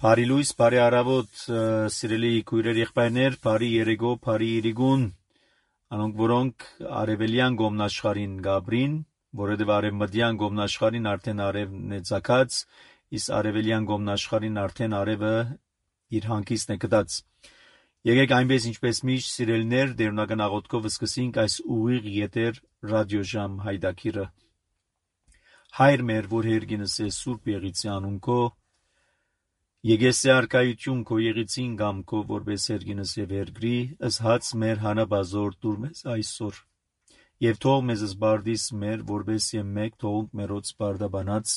Բարի լույս, բարի առավոտ, սիրելի քույրեր, եղբայրներ, բարի երեկո, բարի իրիգուն, անոնք որոնք արևելյան գոմնաշխարհին գաբրին, որովհետև արևմտյան գոմնաշխարհին արդեն արևն է ցակած, իսկ արևելյան գոմնաշխարհին արդեն արևը իր հանգիստն է գտած։ Եկեք այնպես ինչպես միշտ սիրելիներ, դերունական աղոթքով սկսենք այս ուղիղ եթեր ռադիոժամ հայդակիրը։ Հայր մեր, որ հերգինս է Սուրբ Եղիցի անունքո, Եկեսե արկայություն քո եղիցին կամ քո որպես հերգինս եւ երգրի, ըսհաց մեր հանաբազոր դուր մեզ այսօր։ Եվ թող մեզ զբարդիս մեր, որպես եւ մեկ թողունք մերոց բարդաբանած,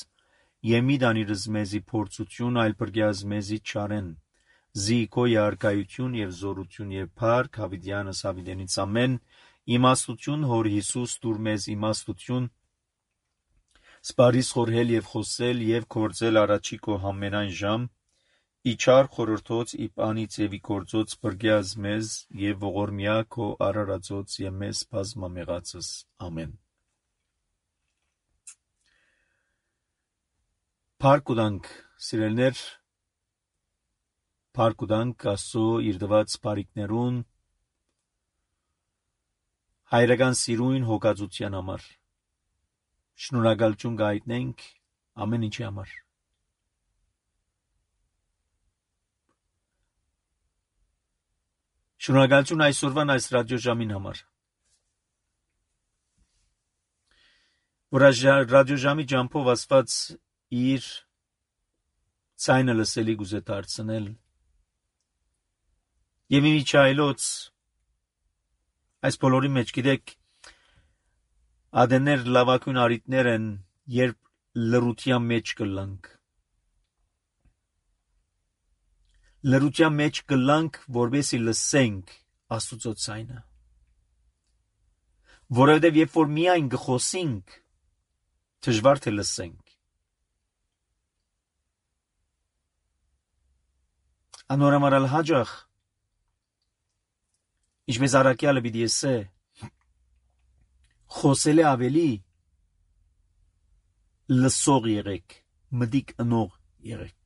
եւ մի դանիրս մեզի փորձություն, այլ բրգյազ մեզի չարեն։ Զի քո արկայություն եւ զորություն եւ փառք հավիտյանս հավիտենից ամեն, իմաստություն հոր Հիսուս դուր մեզ իմաստություն, սպարիս խորհել եւ խոսել եւ կործել առաջի քո համենայն ժամ, Իչար խորհրդոց իպանից եւ իգործոց բրգյազ մեզ եւ ողորմյա քո արարածոց եւ մեզ բազմամեղածս ամեն։ Փառք սիրելներ, փառք Աստծո իր դված բարիքներուն, հայրական սիրուն հոգածության համար։ Շնորհակալություն գայտնենք ամեն ինչի համար։ Շնորհակալություն այսօրվան այս ռադիոժամին համար։ Որ ռադիոժամի ջամփով ասված իր ցայնը լսելի գուզե դարձնել։ Եվ իմիջայլոց այս բոլորի մեջ գիտեք ադեներ լավակույն արիտներ են, երբ լրության մեջ կլանք։ Լրության մեջ կլանք, որովհետեւ լսենք Աստծո ցայնը։ Որովհետեւ երբ որ միայն գխոսենք, դժվար թե լսենք։ Անորամարալ հաջող ինչպես առաքյալը պիտի ասե, խոսել է ավելի, լսող եղեք, մտիկ ընող եղեք։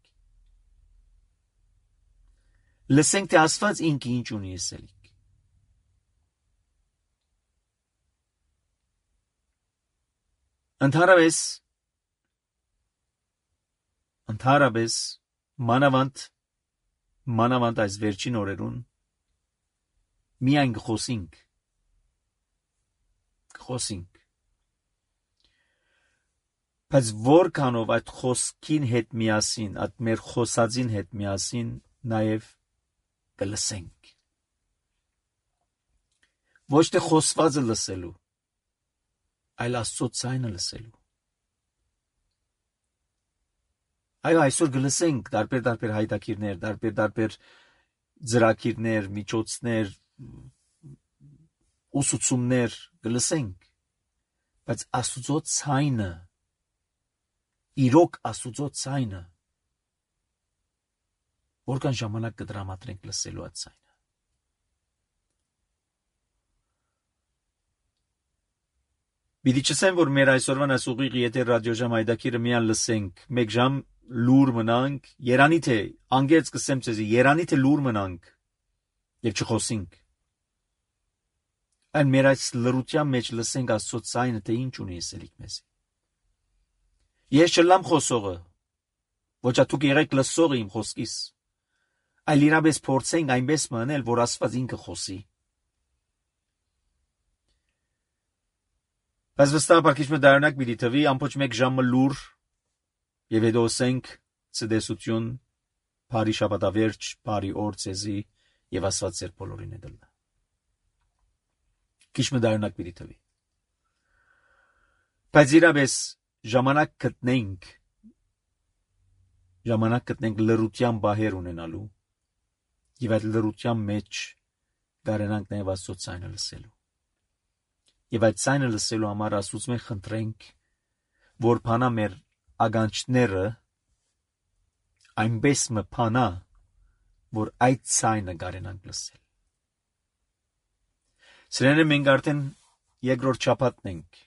Լսենք, թե Աստված ինքը ինչ ունի ասելիք։ Ընդհանրապես, մանավանդ այս վերջին օրերուն, միայն գխոսենք, բայց որքանով այդ խոսքին հետ միասին, այդ մեր խոսածին հետ միասին, նաև կլսենք։ Ոչ թե խոսվածը լսելու, այլ Աստծո ցայնը լսելու։ Այո, այսօր կլսենք տարբեր հայտակիրներ, տարբեր ծրագիրներ, միջոցներ, ուսուցումներ կլսենք, բայց Աստծո ցայնը, իրոք Աստծո ցայնը, որքան ժամանակ կդրամատրենք լսելու այդ ցայնը։ Պիտի չասեմ, որ մեր այսօրվան այս ուղիղ եթեր ռադիոժամ հայտակիրը միան լսենք, մեկ ժամ լուր մնանք, երանի թե, անգեց կսեմ ձեզի, երանի թե լուր մնանք եւ չխոսենք։ Այն մեր այս լրության մեջ լսենք Աստծո ցայնը, թե ինչ ունի ասելիք մեզի։ Ես չլամ խոսողը, ոչ դուք եղեք լսողը իմ խոսքիս, այլ իրապես փորձենք այնպես մնել, որ Աստված ինքը խոսի։ Բայց վստահ բարգիչը դառնակ պիտի թվի ամբողջ մեկ ժամը լուր եւ հետո ասենք ցտեսություն, բարի շաբաթավերջ, բարի օր ցեզի եւ Աստված ձեր բոլորին է դլա։ Քիչը դառնակ պիտի թվի։ Բայց իրապես ժամանակ գտնենք լրության բահեր ունենալու եւ այդ լրության մեջ գարենանք նաեւ Աստծո ցայնը լսելու։ Եվ այդ ցայնը լսելու համար Աստծուց մենք խնդրենք, որ փանա մեր ագանչները այնպես մփանա, որ այդ ցայնը գարենանք լսել։ Սրանը մենք արդեն երկրորդ շաբաթն ենք,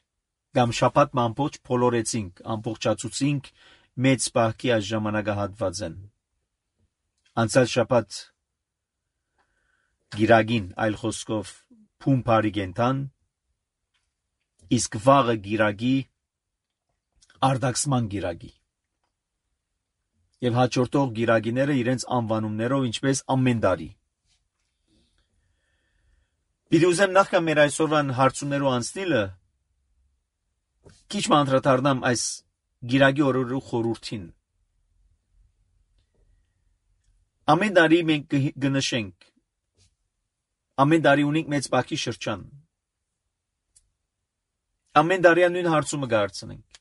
կամ շաբաթ ամբողջ փոլորեցինք, ամբողջացուցինք մեծ բախքի այս ժամանակահատվածեն։ Անցյալ շաբաթ գիրագին այլ խոսքով փումփարի գենտան, իսկ վաղը գիրագի արդակսման գիրագի։ Եվ հաջորդող գիրագիները իրենց անվանումներով ինչպես ամեն տարի։ Պիտի ուզեմ նախքան մեր այսօրվան հարցումներով անցնելը քիչ անդրադառնամ այս գիրագի օրերու խորհրդին։ Ամեն տարի մենք կնշենք, ամեն տարի ունենք մեծ բակի շրջան։ Ամեն տարի նույն հարցումը կհարցնենք.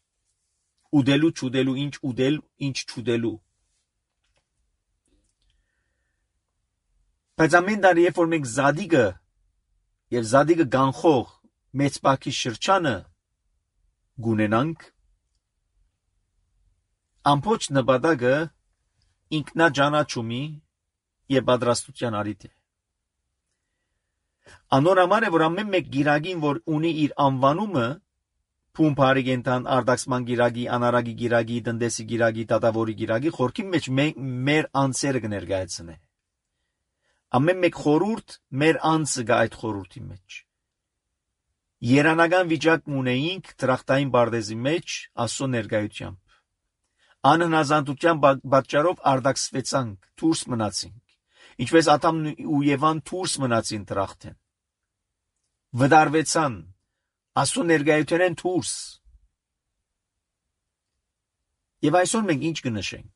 ուդելու, չուդելու, ինչ ուդել, ինչ չուդելու։ Բայց ամեն տարի երբ որ մենք զադիգը եւ զադիգը գանխող մեծ բակի շրջանը գունենանք, ամբողջ նպատակը ինքնաճանաչումի եւ պատրաստության առիթ է։ Անոր համար է, որ ամեն մեկ գիրագին, որ ունի իր անվանումը, փումփարի գենտան, արդակսման գիրագի, անարագի գիրագի, տնտեսի գիրագի, դատավորի գիրագի, խորքի մեջ մեր անձերը կներկայացնե։ Ամեն մեկ խորհուրդ մեր անձը գա այդ խորհրդի մեջ։ Երանական վիճակ ունեինք դրախտային բարդեզի մեջ Աստծո ներկայությամբ։ Անհնազանդության պատճառով արդակսվեցանք, դուրս մնացինք, ինչպես Ադամն ու Եվան դուրս մնացին դրախտեն։ Վդարվեցան, Աստծո ներկայութենեն դուրս։ Եվ այսօր մենք ինչ կնշենք։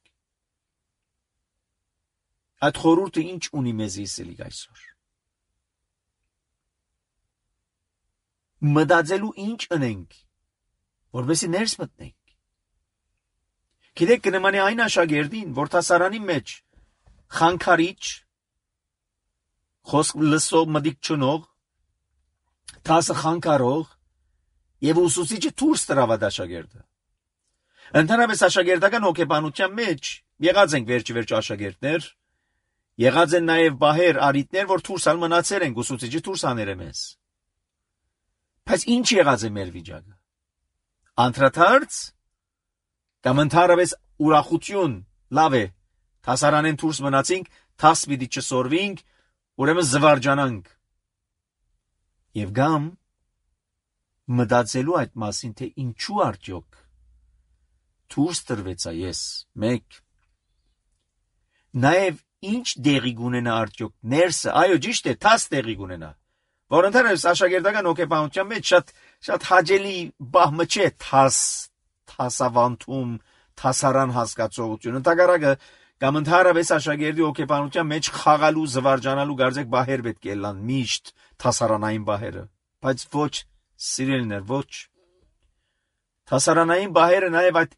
Այդ խորհուրդը ինչ ունի մեզ իսելիք այսօր։ Մտածելու ինչ ունենք, որովհետեւ ներս մտնենք։ Գիտեք, կնմանի այն աշակերտին, որ դասարանի մեջ խանգարիչ, խոսք լսող մտիկ չունող, դասը խանգարող եւ ուսուցիչը դուրս տրավ այդ աշակերտը։ Ընդհանրապես աշակերտական հոգեբանության մեջ եղած ենք վերջ աշակերտներ, եղած են նաեւ բահեր, արիտներ, որ դուրս մնացել են, ուսուցիչը դուրս անել է մեզ։ Բայց ինչ եղած է մեր վիճակը։ Անդրադարձ կամ ընդհանրապես ուրախություն, լավ է, դասարանեն դուրս մնացինք, դաս պիտի չսորվինք, ուրեմն զվարճանանք։ Եվ գամ մտածելու այդ մասին, թե ինչու արդյոք դուրս տրվեցա ես, մեկ։ Նաև ինչ դեղի գունենա արդյոք ներսը, այո, ճիշտ է, դաս դեղի գունենա, որ ընդհանրապես աշակերտական հոգեբանության մեջ շատ հաճելի բահմը չէ դասավանդում, դասարան հասկացողություն։ Ընդհակառակը կամ ընդհանրապես աշակերտի հոգեբանության մեջ խաղալու, զվարճանալու գարձեք բահեր պետք է լան, միշտ դասարանային բահերը, բայց ոչ սիրելիներ, ոչ։ Դասարանային բահերը նաև այդ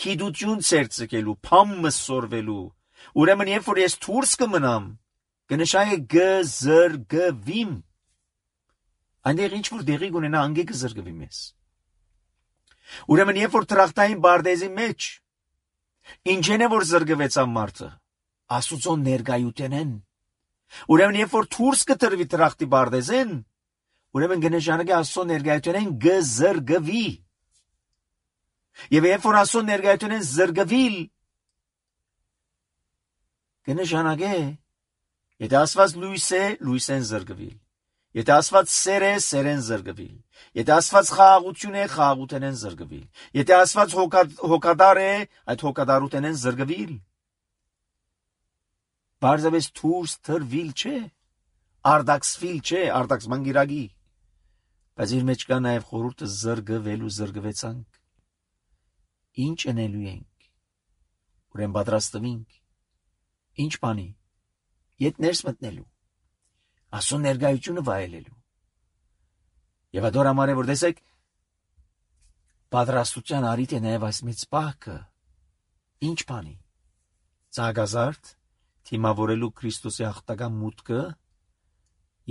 գիտություն ցերծելու, փամը սորվելու։ Ուրեմն երբ որ ես դուրս կմնամ, կնշանակի գզրգվիմ։ Այնտեղ ինչ որ դեղի կունենա, անգե կզրգվի մեզ։ Ուրեմն երբ որ դրախտային բարդեզի մեջ ինչեն է որ զրգվեցան մարդը, Աստուծո ներկայութենեն։ Ուրեմն երբ որ դուրս կտրվի դրախտի բարդեզեն, ուրեմն կնշանակի Աստծո ներկայութենեն գզրգվի։ Եվ երբ որ Աստծո ներկայութենեն զրգվիլ, կնշանակի, եթե Աստված լույս է, լույսեն զրգվիլ։ Եթե Աստված սեր է, սերեն զրգվիլ։ Եթե Աստված խաղաղություն է, խաղաղութենեն զրգվիլ։ Եթե Աստված հոգադար է, այդ հոգադարութենեն զրգվիլ։ Բարձրապես դուրս տրվիլ չէ, արդակսվիլ չէ, արդակսման գիրագի։ Բայց իր մեջ կա նաև խորհուրդը զրգվելու, զրգվեցանք։ Ինչ անելու ենք, ուրեմն պատրաստվենք, ինչ բանի, ետ ներս մտնելու, Աստծո ներկայությունը վայելելու։ Եվ ադոր համար է, որ տեսեք, պատրաստության առիթ է նաև այս մեծ պահքը, ինչ բանի, ծաղկազարդ, թիմավորելու Քրիստոսի հաղթական մուտքը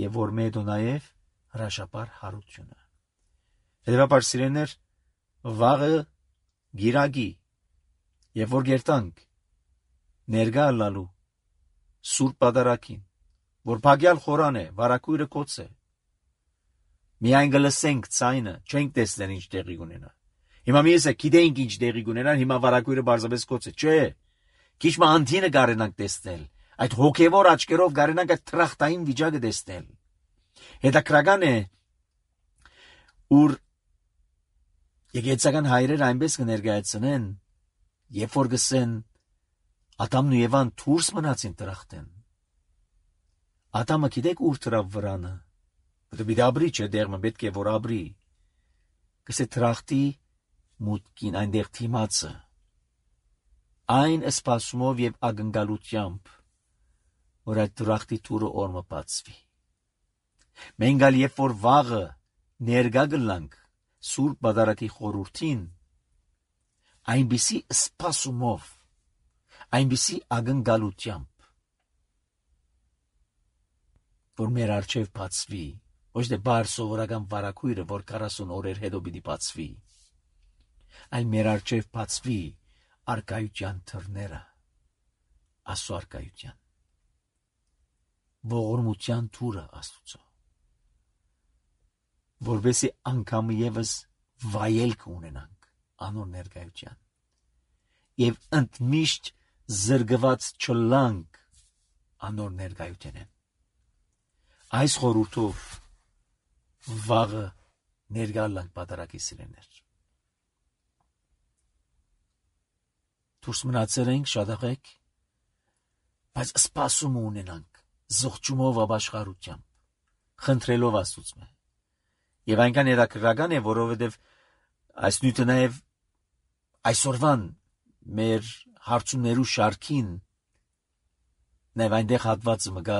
եւ որ մեդո նաև հրաշապար հարությունը։ Հետևաբար սիրելիներ, վաղը գիրագի եւ որ գերտանք ներկա լալու սուրբ պատարագին, որ փագյալ խորան է, վարակույրը կոց է։ Միայն գլսենք ցայնը, չենք տեսնել ինչ տեղի կունենա։ Հիմա մի էսը գիտենք ինչ տեղի կունենա, հիմա վարակույրը բարձրապես կոց է, չէ։ Քիչ մ անտինը կարենանք տեսնել, Այդ հոգևոր աչքերով գարենանք այդ տրախտային վիճակը տեսնել։ Հետաքրական է, ուր եկեղեցական հայրերը այնպես կներկայացնեն, երբ որ գսեն Ադամն ու Եվան դուրս մնացին տրախտեն։ Ադամը գիտեք ուր դրավ վրանը։ Պետք է ապրի, չէ՞ դերմը պետք է որ ապրի։ Գսե տրախտի մուտքին այնտեղ թիմացը։ Այն սպասումով եւ ակնկալությամբ, որ այդ տրախտի թուրը օրը բացվի։ Մենք ալ երբ որ վաղը ներկա գլանք Սուրբ Պատարագի խորհրդին, այնպիսի սպասումով, այնպիսի ակնկալությամբ, որ մեր առջև բացվի, ոչ թե բար սովորական վարակույրը, որ 40 օրեր հետո պիտի բացվի, այլ մեր առջև բացվի արկայության թռները, Աստծո արկայության, ողորմության թուրը Աստծո, որովհետեւ անգամ եւս վայելք ունենանք անոր ներկայության եւ ընդմիշտ զրկված չլանք անոր ներկայութենեն։ Այս խորհուրդով վաղը ներկալանք Պատարագի սիրեներ։ Դուրս մնացել ենք շատախեք, բայց սպասում ունենանք զղջումով ապաշխարությամբ, խնդրելով Աստծո։ Եվ այնքան հետաքրքրական է, որովհետև այս նյութը նաև այսօրվան մեր հարցումներու շարքին նաև այնտեղ հատվածը մգա,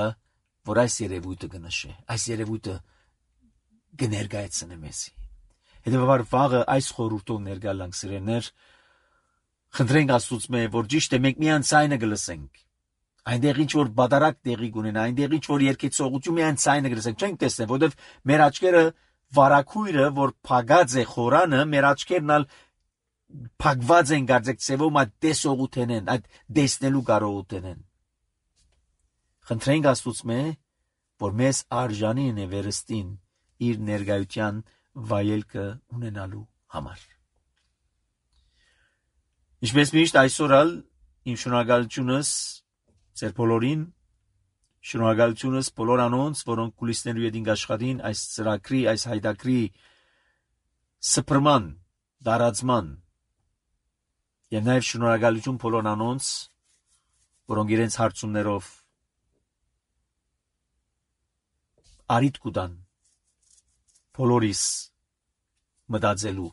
որ այս երևույթը կնշե, այս երևույթը կներկայացնե մեզի։ Հետևաբար վաղը այս խորհուրդով ներկալանք սիրելիներ, խնդրենք Աստծո, որ ճիշտ է մենք միայն ցայնը գլսենք։ Այնտեղ ինչ որ բադարակ տեղի կունենա, այնտեղ ինչ որ երկեցողություն միայն ցայնը գլսենք, չենք տեսնի, որովհետև մեր աչքերը վարակույրը, որ փագած է խորանը, մեր աչքերն ալ փակված են գարձեք ծևում այդ տեսողութենեն, այդ տեսնելու կարողութենեն։ Խնդրենք Աստծո, որ մեզ արժանին է վերստին իր ներկայության վայելքը ունենալու համար։ Ինչպես միշտ այսօր ալ իմ շնորհակալությունս ձեր բոլորին, շնորհակալությունս բոլոր անոնց, որոնք կուլիսներու ետին աշխատին այս ծրագրի, այս հայտակրի սփռման, դարածման եւ նաեւ շնորհակալություն բոլոր անոնց, որոնք իրենց հարցումներով արիտ կուտան բոլորիս մտածելու,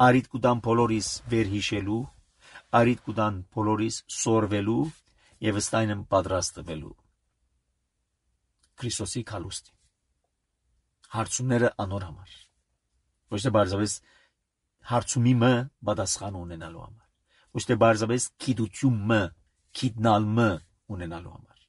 արիտ կուտան բոլորիս վերհիշելու, արիտ կուտան բոլորիս սորվելու եւ ըստայն պատրաստվելու Քրիստոսի քալուստի հարցումները անոր համար, ոչ թե բարձրապես հարցումիմը պատասխան ունենալու համար, ոչ թե բարձրապես գիտությունը, գիտնալը ունենալու համար,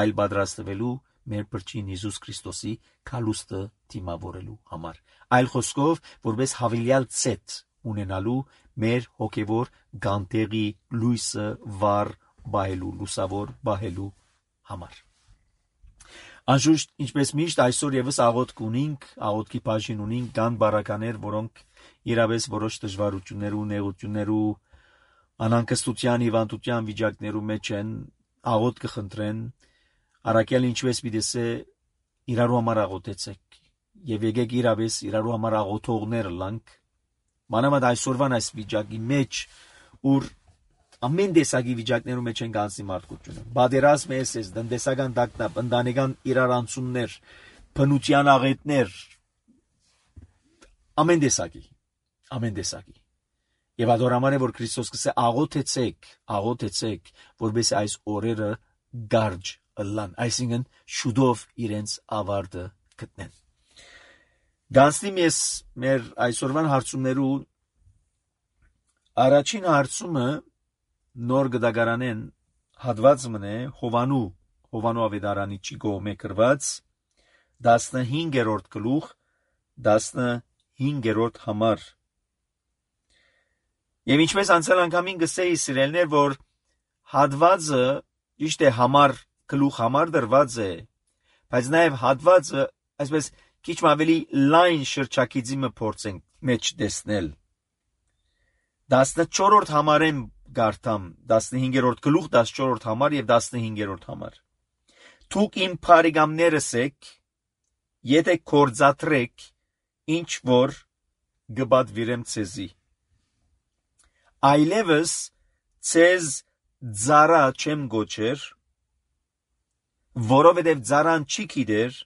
այլ պատրաստվելու մեր Փրկին Հիսուս Քրիստոսի քալուստը դիմավորելու համար, այլ խոսքով որպես հավելյալ ցետ ունենալու մեր հոգևոր գանտերի լույսը վառ բահելու, լուսավոր բահելու համար։ Անշուշտ, ինչպես միշտ այսօր եւս աղոթք ունենք, աղոթքի բաժին ունենք կան բարականեր, որոնք իրավես որոշ դժվարություններու, նեղություններու, անհանգստության, հիվանդության վիճակներու մեջ են, աղոթք կխնդրեն, առաքյալ ինչպես պիտեսե իրարու համար աղոթեցեք եւ եկեք իրավես իրարու համար աղոթողներ լանք, մանավանդ այսօրվան այս վիճակի մեջ, ուր ամեն տեսակի վիճակներու մեջ են կանցի մարդկությունը, բادرազմ է, տնտեսական տագնապ, ընտանեկան իրարանցումներ, բնության աղետներ, ամեն տեսակի։ Եվ ադորամար է, որ Քրիստոս կսե աղոթեցեք, որպես այս օրերը գարջ ըլլան, այսինքն շուտով իրենց ավարտը գտնեն։ Գանցնիմ ես մեր այսօրվան հարցումներու առաջին հարցումը նոր գդագարանեն հատված մնե Հովանու ավետարանիչի կողմէ գրված 15-րդ գլուխ 15-րդ համար։ Եվ ինչպես անցյալ անգամին գսեի սիրելներ, որ հատվածը ճիշտ է համար գլուխ համար դրված է, բայց նաև հատվածը այսպես քիչ ավելի լայն շրջակիցի մը փորձենք մեջ տեսնել։ 14-րդ համարեն գարտամ 15-րդ գլուխ 14-րդ համար եւ 15-րդ համար։ Դուք իմ բարեկամներս եք, եթե կործատրեք ինչ որ գբադվիրեմ ցեզի։ Այլևս ցեզ ծառա չեմ գոչեր, որովհետև ծառան չի գիտեր,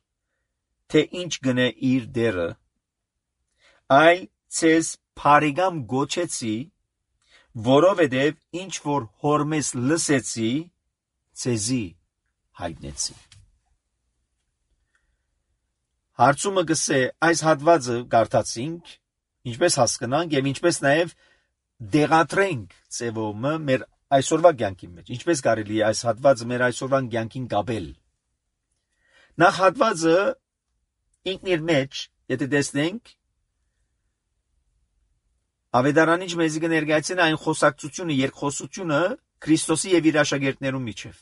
թե ինչ գնե իր դերը, այլ ցեզ բարեկամ գոչեցի, որովհետև ինչ որ հորմես լսեցի, ցեզի հայտնեցի։ Հարցումը գսե այս հատվածը կարդացինք, ինչպես հասկանանք եւ ինչպես նաեւ դեղատրենք ծևոմը մեր այսօրվա կյանքի մեջ, ինչպես կարելի է այս հատվածը մեր այսօրվա կյանքին կապել։ Նախ հատվածը ինքն իր մեջ, եթե տեսնենք, Ավետարանիչ մեզի կներկայացնի այն խոսակցությունը, երկխոսությունը Քրիստոսի եւ իր աշակերտներու միջև։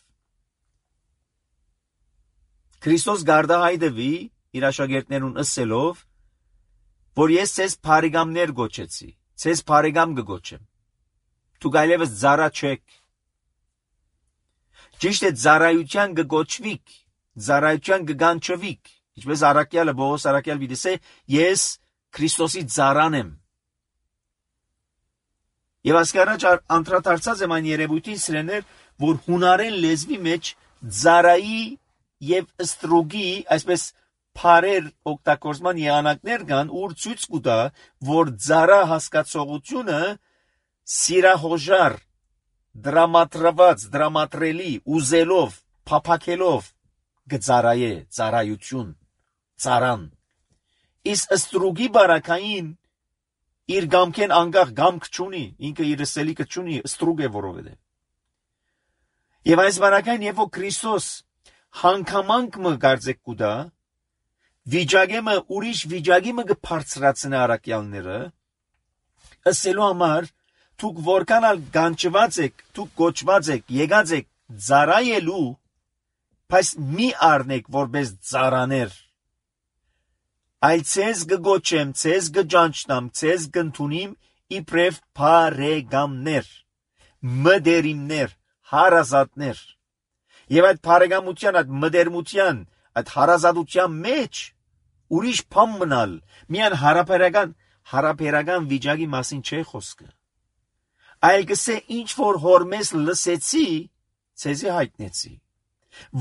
Քրիստոս գարդահայտվի իր աշակերտներուն ըսելով, որ ես ցեզ բարեկամներ գոչեցի, ցեզ բարեկամ կգոչեմ։ Դուք այլևս ծառա չեք։ Ճիշտ է, ծառայության կգոչվիք, ծառայության կգանչվիք, ինչպես Առաքյալը Պողոս Առաքյալ դիսե, ես Քրիստոսի ծառան եմ։ Եվ ասկարաջ անդրադարձած եմ այն երևույթին սրեներ, որ հունարեն լեզվի մեջ ծառայի եւ ստրուգի, այսպես փարեր օգտագործման եղանակներ կան, ուր ցույց կտա, որ ծառա հասկացողությունը սիրահոժար, դրամատրված, դրամատրելի, ուզելով, փափակելով գծարայե, ծառայություն, ծառան։ Իսկ ստրուգի բարակային իր գամքեն անգախ գամք չունի, ինքը իր սելիկը չունի, ստրուգ է որովհետև։ Եվ այս բարակային երբ որ Քրիստոս հանգամանք մը կարծեք կուտա, վիճակեմը ուրիշ վիճակի մը կբարձրացնե առաքյալները, ըսելու համար դուք որքան ալ գանչված եք, դուք կոչված եք, եկած եք ծառայելու, բայց մի առնեք որպես ծառաներ։ Այլ ցեզ կգոչեմ, ցեզ կճանչնամ, ցեզ կընդունիմ իբրև բարեկամներ, մտերիմներ, հարազատներ։ Եվ այդ բարեկամության, այդ մտերմության, այդ հարազատության մեջ ուրիշ բան մնալ, միան հարաբերական վիճակի մասին չէ խոսքը։ Այլ կսե ինչ որ հորմես լսեցի, ցեզի հայտնեցի։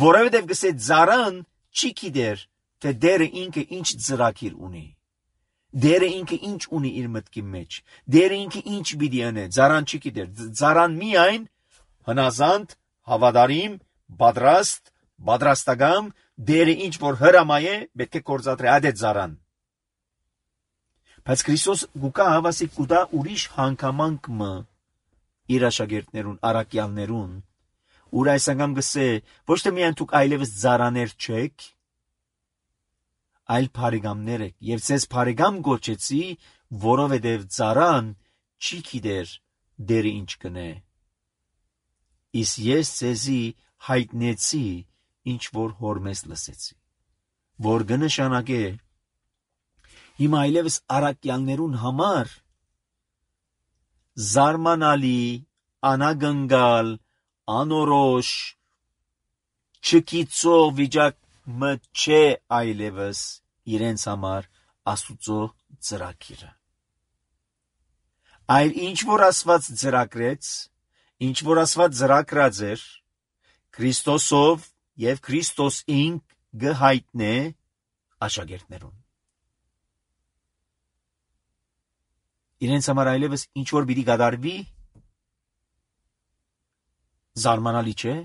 Որովհետև կսե ծառան չի գիտեր, թե դերը ինքը ինչ ծրագիր ունի։ Դերը ինքը ինչ ունի իր մտքի մեջ։ Դերը ինքը ինչ պիտի անե, ծառան չի գիտեր։ Ծառան միայն հնազանդ, հավատարիմ, պատրաստական, դերը ինչ որ հրամայ է, պետք է կործատրի այդ է ծառան։ Բայց Քրիստոս գուկա հավասի կուտա ուրիշ հանգամանք մը իր աշակերտներուն, առաքյալներուն, ուր այս անգամ գսե, ոչ թե միայն դուք այլևս ծառաներ չեք, այլ բարեկամներ եք, եւ ցեզ բարեկամ գոչեցի, որովհետեւ ծառան չի գիտեր դերը ինչ կնե։ Իսկ ես ցեզի հայտնեցի, ինչ որ հորմես լսեցի, որ կնշանակե հիմա այլևս առաքյալներուն համար զարմանալի, անագնգալ, անորոշ, չկիծող վիճակ մը չէ այլևս իրենց համար Աստուծո ծրագիրը։ Այլ ինչ որ Աստված ծրագրեց, ինչ որ Աստված ծրագրած էր, Քրիստոսով եւ Քրիստոս ինք գհայտնե աշակերտներուն։ Իրենց համար այլևս ինչ որ պիտի կատարվի, զարմանալի չէ,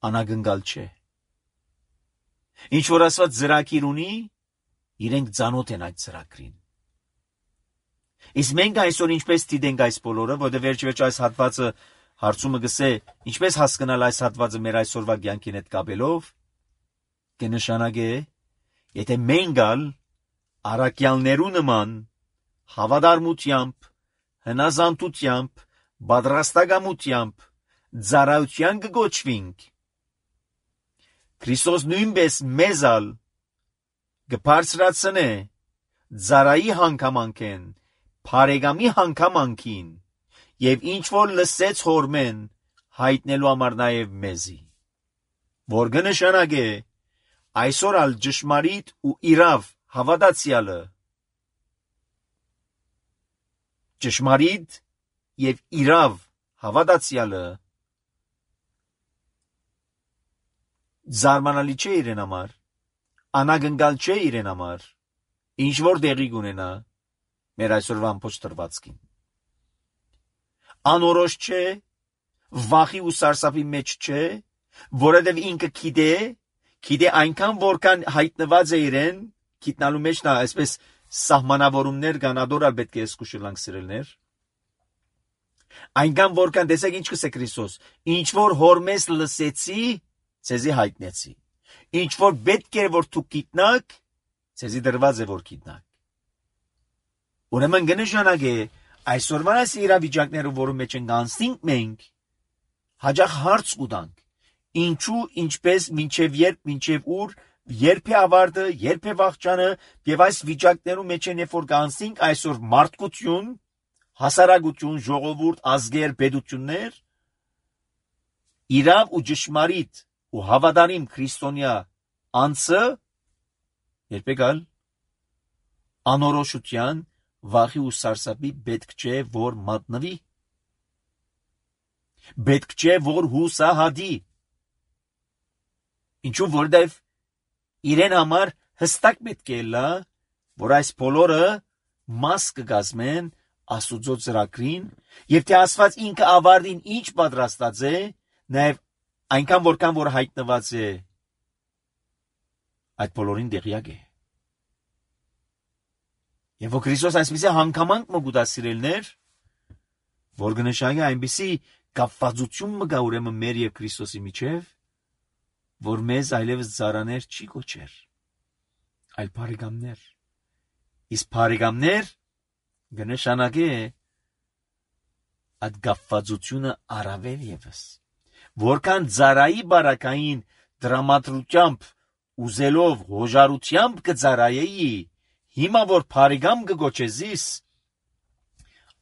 անագնգալ չէ։ Ինչ որ Աստված ծրագիր ունի, իրենք ծանոթ են այդ ծրագրին։ Իսկ մենք այսօր ինչպես դիտենք այս բոլորը, որտեղ վերջ այս հատվածը հարցումը գսե, ինչպես հասկանալ այս հատվածը մեր այսօրվա կյանքին հետ կապելով, կնշանակե, եթե մենք առաքյալներու նման հավատարմությամբ, հնազանդությամբ, պատրաստակամությամբ ծառայության կգոչվինք, Քրիստոս նույնպես մեզ կբարձրացնե ծառայի հանգամանքին, բարեկամի հանգամանքին եւ ինչ որ լսեց հորմեն հայտնելու համար նաեւ մեզի, որ կնշանակե այսօր ալ ճշմարիտ ու իրավ հավատացյալը ճշմարիտ եւ իրավ հավատացյալը զարմանալի չէ իրեն համար, անագնգալ չէ իրեն համար, ինչ որ դեղի կունենա մեր այսօրվա ամբողջ տրվածքին, անորոշ չէ, վախի ու սարսափի մեջ չէ, որովհետև ինքը գիտե այնքան որքան հայտնված է իրեն, գիտնալու մեջ նա այսպես սահմանավորումներ կան, ադորալ պետք է սկսուշելանք սիրելներ, այնքան որքան տեսեք ինչ կսե Քրիստոս, ինչ որ հորմես լսեցի, ցեզի հայտնեցի, ինչ որ պետք է որ դուք գիտնաք, ցեզի դրված է որ գիտնաք, ուրեմն կնշանակե այսօրվա այս իրավիճակները, որում մեջ ենք անցնենք մենք, հաջող հարց կտանք, ինչու, ինչպես, մինչև երբ, մինչև ուր, երբ է ավարտը, երբ է վախճանը, եւ այս վիճակներում մեջ են, երբ որ կանցնենք այսօր մարդկություն, հասարակություն, ժողովուրդ, ազգեր, պետություններ, իրավ ու ճշմարիտ ու հավատարիմ քրիստոնյա անձը երբ եկալ անորոշության, վախի ու սարսափի պետք չէ որ մատնվի, պետք չէ որ հուսահատի, ինչու որովհետև իրեն համար հստակ պետք է լա, որ այս բոլորը մաս կգազմեն Աստուծո ծրագրին, եւ թե Աստված ինքը ավարտին ինչ պատրաստած է, նաեւ այնքան որքան որ հայտնված է այդ բոլորին դեղյակ է։ Եվ որ Քրիստոս այսպիսի հանգամանք մգուտա սիրելներ, որ կնշանակի այնպիսի կապվածություն մգա ուրեմն մեր եւ Քրիստոսի միջև, որ մեզ այլևս ծառաներ չի կոչեր, այլ բարեկամներ։ Իսկ բարեկամներ կնշանակի այդ կապվածությունը առավել եւս, որքան ծառայի բարակային դրամատրությամբ ուզելով հոժարությամբ կծառայեի, հիմա որ բարեկամ կգոչեզիս,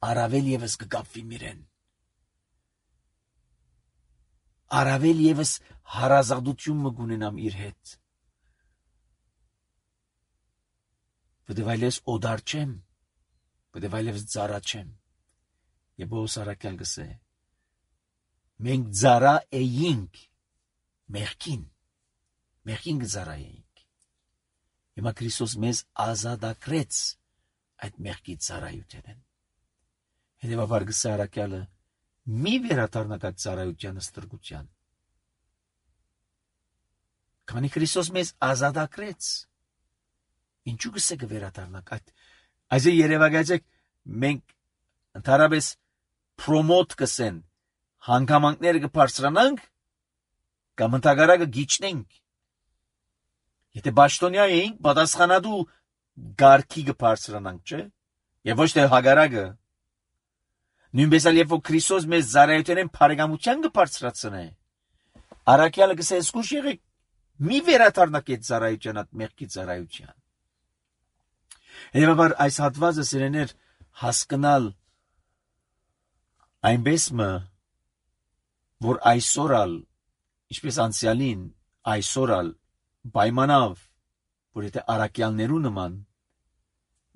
առավել եւս կկապվի իրեն, առավել եւս հարազատություն կունենամ իր հետ, որտեւ այլևս օդար չեմ, որտեւ այլևս ծառա չեմ, եւ Պողոս առաքյալ գսե, մենք ծառա էինք մեղքին կծառայեինք, հիմա Քրիստոս մեզ ազատագրեց այդ մեղքի ծառայութենեն, հետևաբար գսե առաքյալը, մի վերադառնաք այդ ծառայության ստրկության, քանի Քրիստոս մեզ ազատագրեց, ինչու գսե կվերադառնաք այս երևակայեցեք, մենք ընդհանրապես պրոմոտ կսեն, հանգամանքները կբարձրանանք, կամ ընդհակառակը գիչնենք, եթե պաշտոնյա էինք, պատասխանատու գարքի կբարձրանանք, չէ, եւ ոչ թե հակառակը, նույնպես էլ երբ որ Քրիստոս մեզ ծառայութենեն բարեկամության կբարձրացնե, առաքյալը գսե զգուշ եղեք, մի վերադառնաք այդ ծառայության, այդ մեղքի ծառայության։ Հետևաբար այս հատվածը սիրելիներ հասկանալ այնպես որ այսօր ալ, ինչպես անցյալին, այսօր ալ պայմանավ, որ եթե առաքյալներու նման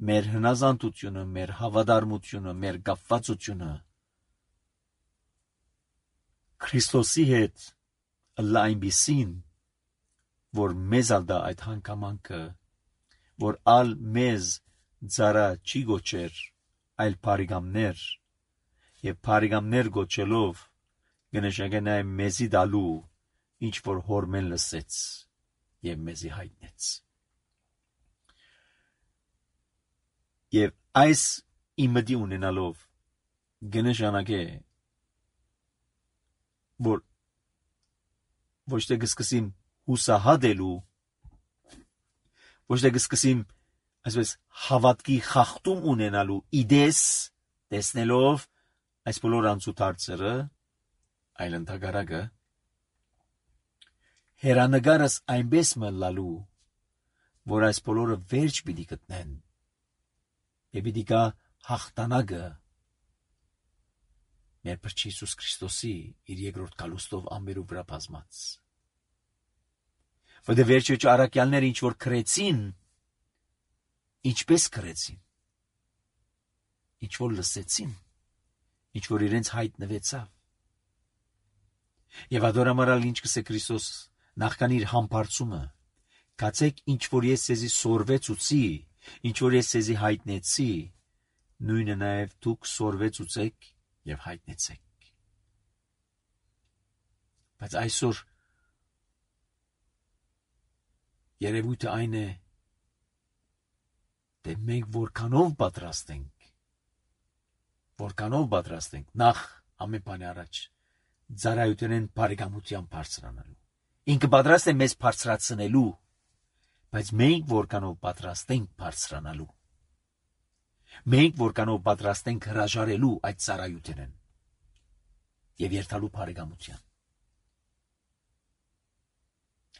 մեր հնազանդությունը, մեր հավատարմությունը, մեր կապվածությունը Քրիստոսի հետ լա այնպիսին, որ մեզ ալ դա այդ հանգամանքը, որ ալ մեզ ծառա չի գոչեր, այլ բարեկամներ, եւ բարեկամներ գոչելով կնշանակի նաեւ մեզի դալու ինչ որ հորմեն լսեց եւ մեզի հայտնեց։ Եվ այս իմդի ունենալով կնշանակի որ ոչ թե կսկսեմ հուսահատելու, ոչ թե կսկսեմ այսպես հավատքի խախտում ունենալու իդես տեսնելով այս բոլոր անցուդարձերը, այլ ընդհակառակը հերանեկարս այնպես մլալու, որ այս բոլորը վերջ պիտի գտնեն եւ պիտի գա հաղթանակը մեր Փրկիչ Հիսուս Քրիստոսի իր երկրորդ գալուստով ամբերու վրա բազմած։ Որտե վերջոջ առաքյալները ինչ որ քրեցին, ինչպես քրեցին, ինչ որ լսեցին, ինչ որ իրենց հայտնվեցավ։ Եվ ադորամարալ ինչ կսե Քրիստոս նախքան իր համբարձումը, կացեք ինչ որ ես ձեզի սորվեցուցի, ինչ որ ես ձեզի հայտնեցի, նույնը նաև դուք սորվեցուցեք եւ հայտնեցեք։ Բայց այսօր երևույթը այն է, թե մենք որքանով պատրաստ ենք, նախ ամեն բանի առաջ ծառայությունեն բարեկամության բարձրանալու։ Ինքը պատրաստ է մեզ բարձրացնելու, բայց մենք որքանով պատրաստ ենք բարձրանալու։ Մենք որքանով պատրաստ ենք հրաժարելու այդ ծառայությունեն եւ երթալու բարեկամության։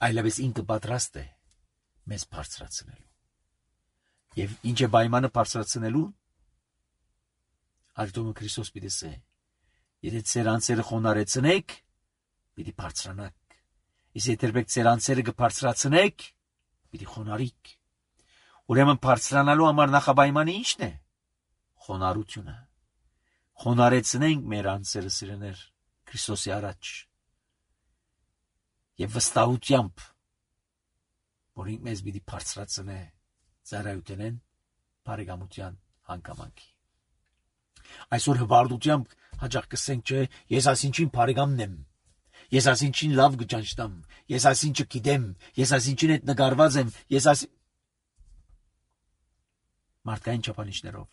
Այլևս ինքը պատրաստ է մեզ բարձրացնելու։ Եվ ինչ է պայմանը բարձրացնելու։ Ալտոմը Քրիստոս պիտի ասե. Եթե ձեր անձերը խոնարհեցնեք, պիտի բարձրանաք։ Իսկ եթե ձեր անձերը կբարձրացնեք, պիտի խոնարհիք։ Ուրեմն բարձրանալու համար նախապայմանը ի՞նչն է։ Խոնարհությունը։ Խոնարհեցնենք մեր անձերը սիրեներ Քրիստոսի առաջ։ Եվ վստահությամբ, որ ինքը մեզ պիտի բարձրացնե ծառայությունեն բարեկամության հանգամանքի։ Այսօր հվարդությամբ հաճախ կսենք, չէ, ես այսինչին բարեկամն եմ, ես այսինչին լավ կճանչնամ, ես այսինչը գիտեմ, ես այսինչին հետ նկարված եմ, ես այս մարդկային չափանիշներով։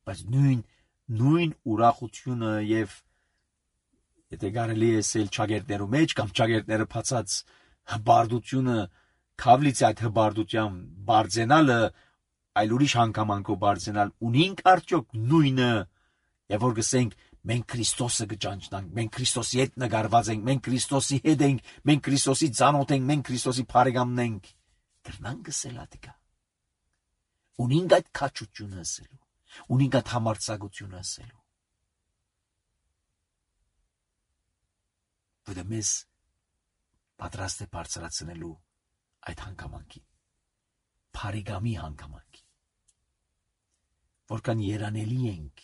Բայց նույն ուրախությունը եւ եթե կարելի է ասել ճագերտներու մեջ կամ ճագերտները փածած հբարդությունը քավլից այդ հբարդության բարձենալը այլ ուրիշ հանգամանքով բարձենալ ունինք արդյոք նույնը եւ որ գսենք մենք Քրիստոսը կճանչնանք, մենք Քրիստոսի հետ նկարված ենք, մենք Քրիստոսի հետ ենք, մենք Քրիստոսի ծանոթ ենք, մենք Քրիստոսի բարեկամն ենք, կրնանք գսել ադիկա։ Ունինք այդ քաչությունը ասելու, ունինք այդ համարձակությունը ասելու։ Որը մեզ պատրաստ է բարձրացնելու այդ հանգամանքին, բարեկամի հանգամանքին։ Որքան երանելի ենք,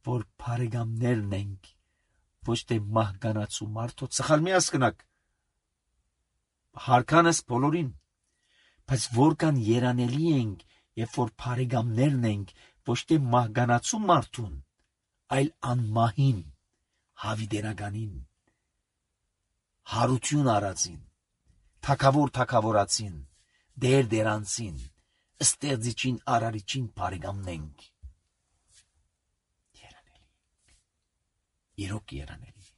որ բարեկամներն ենք, ոչ թե մահկանացու մարդոց, սխալ մի հասկնակ, հարկանս բոլորին, բայց որքան երանելի ենք, երբ որ բարեկամներն ենք, ոչ թե մահկանացու մարդուն, այլ անմահին, հավիտենականին, հարություն արածին, թագավորացին, դերանցին, ստեղծիչին, արարիչին բարեկամն ենք։ Երանելի։ Իրոք երանելի։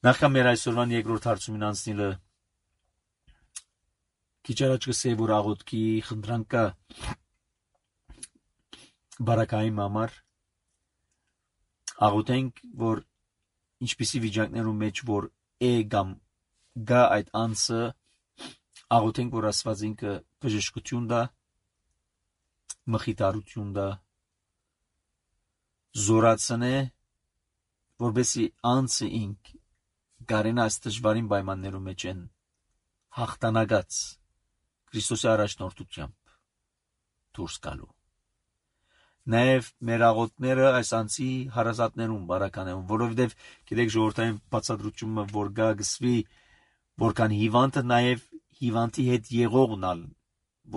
Նախքան մեր այսօրվան երկրորդ հարցումին անցնելը քիչ առաջ կսեի, որ աղոթքի խնդրանքը բարակայի համար աղոթենք, որ ինչպիսի վիճակներում մեջ որ կամ գա այդ անձը, աղոթենք, որ Աստված ինքը բժշկություն տա, մխիթարություն տա, զորացնե, որպեսզի անձը ինք կարենա այս դժվարին պայմաններում մեջ են հաղթանակած Քրիստոսի առաջնորդությամբ դուրս գալու։ Նաև մեր աղոթքները այս անձի հարազատներուն բարականեն, որովհետև գիտեք ժողովրդային բացատրությունը, որ գա գսվի, որքան հիվանդը նաև հիվանդի հետ եղողնալ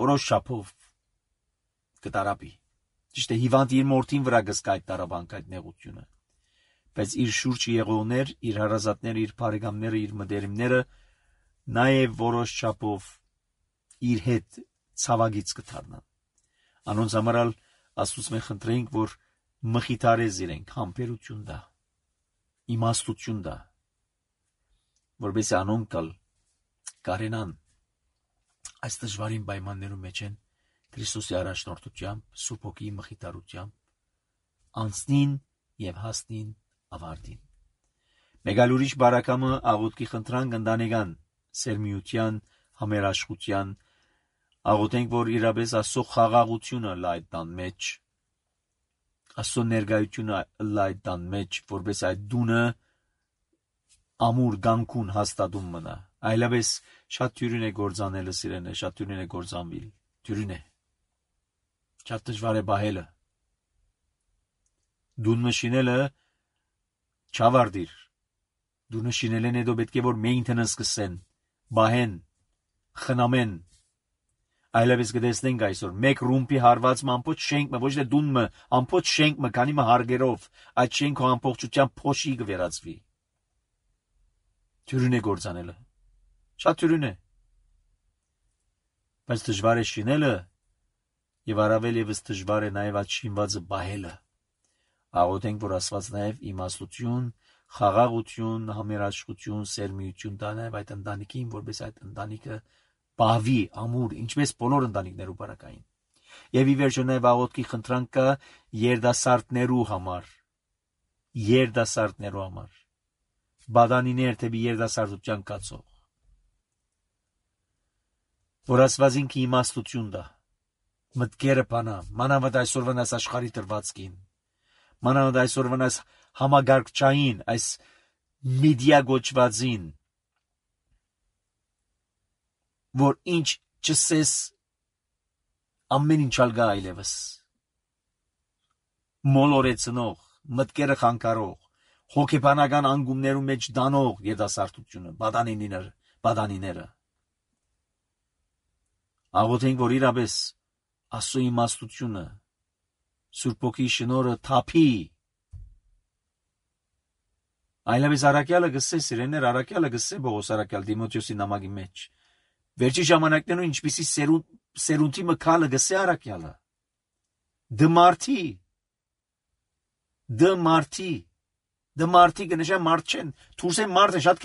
որոշ չափով կտարապի։ Ճիշտ է, հիվանդը իր մորթին վրա գսկա այդ տարապանք, այդ նեղությունը, բայց իր շուրջը եղողներ, իր հարազատները, իր բարեկամները, իր մտերիմները նաև որոշ չափով իր հետ ցավագից կդառնան։ Անոնց համար Աստուծո մենք խնդրենք, որ մխիթարես իրենք, համբերություն տա, իմաստություն տա, որպեսզի անոնք կարենան այս դժվարին պայմաններում մեջ են Քրիստոսի առաջնորդությամբ, Սուրբ Հոգիի մխիթարությամբ, անցնին եւ հասնին ավարտին։ Մեկ այլ ուրիշ բարակամը աղոթքի խնդրանք ընտանեկան սերմիության, համերաշխության, աղոթենք, որ իրապես Աստծո խաղաղությունը լա այդ տան մեջ, Աստծո ներկայությունը լա այդ տան մեջ, որպես այդ դունը ամուր գանքուն հաստատում մնա, այլապես շատ թյուրին է գործանելը սիրելիներ, շատ թյուրին է գործանվիլ, թյուրին է, շատ դժվար է բահելը, դունը շինելը չավարտիր, դունը շինելեն հետո պետք է որ maintenance սկսեն, բահեն, խնամեն, այլապես կտեսնենք այսօր, մեկ ռումպի հարվածը ամբողջ շենքը, ոչ թե դունը, ամբողջ շենքը, քանի հարգերով, այդ շենքը ամբողջությամբ փոշի կվերածվի, թյուրին է գործանելը, շատ թյուրին է, բայց դժվար է շինելը, եւ առավել եւս դժվար է նաեւ այդ շինվածը բահելը, աղոթենք, որ Աստված նաեւ իմաստություն, խաղաղություն, համերաշխություն, սերմիություն տա նաեւ այդ ընտանիքին, որպես այդ ընտանիքը բահվի, ամուր, ինչպես բոլոր ընտանիքներու բարակային։ Եվ ի վերջո նաեւ աղոթքի խնդրանք կա երդասարտներու համար, բադանիներ թեպի երդասարտության կացող, որ Աստված ինքը իմաստություն տա, մտքերը բանա, մանավանդ այսօրվան այս աշխարհի տրվածքին, մանավանդ այսօրվան այս համագարկչային, այս մեդիա գոչվածին, որ ինչ չսես ամեն ինչ ալգա այլևս, մոլորեցնող, մտքերը խանգարող, հոգեբանական անգումներու մեջ դանող երդասարտությունը, բադանիները, աղոթենք, որ իրապես Աստծո իմաստությունը, Սուրբ Հոգի շնորհը թափի, այլապես առաքյալը գսե սիրելիներ, առաքյալը գսե Պողոս առաքյալ Տիմոթեոսի նամակի մեջ, վերջի ժամանակներում ինչպիսի սերունդի մկալը գսե առաքյալը, դմարտի կնշան մարդ չեն, թուրսեն մարդը շատ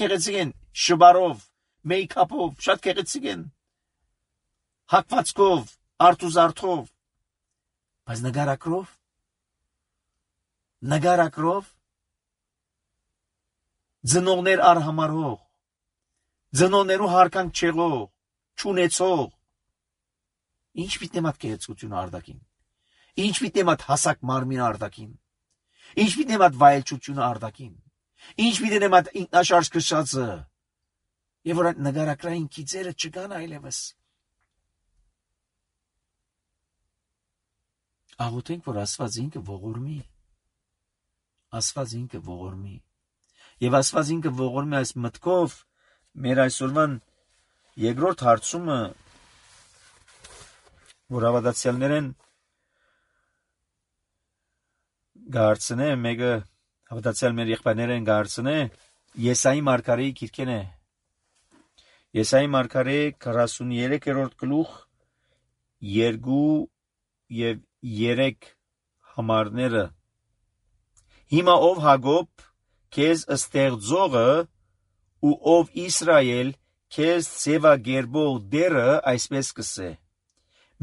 քեղեցիկ են, շբարով, մեյքափով, շատ քեղեցիկ են, հակվածքով, արտուզարթով, բայց նգարակրով, ձնողներ արհամարհող, ձնողներու հարկանք չեղող, չունեցող, ինչ պիտի մատ քեղեցկությունը արդակին, ինչ պիտի մատ հասակ մարմին արդակին, ինչ պիտի մատ վայելչությունը արդակին, ինչ պիտի մատ ինքնաշարժ քշածը, եւ որ այդ նգարակրային քիծերը չկան այլևս, աղոթենք, որ Աստված ինքը ողորմի, եւ Աստված ինքը ողորմի այս մտքով մեր այսօրվան երկրորդ հարցումը, որ հավատացյալներեն գարցնե, մեկը հավատացյալ մեր եղբայրներեն գարցնե, Եսայի մարգարեի գիրքեն է, Եսայի մարգարե 43-րդ գլուխ 2 եւ 3 համարները, հիմա ով Հակոբ քեզ ստեղծողը ու ով Իսրայել քեզ ձևագերբող դերը այսպես կսե.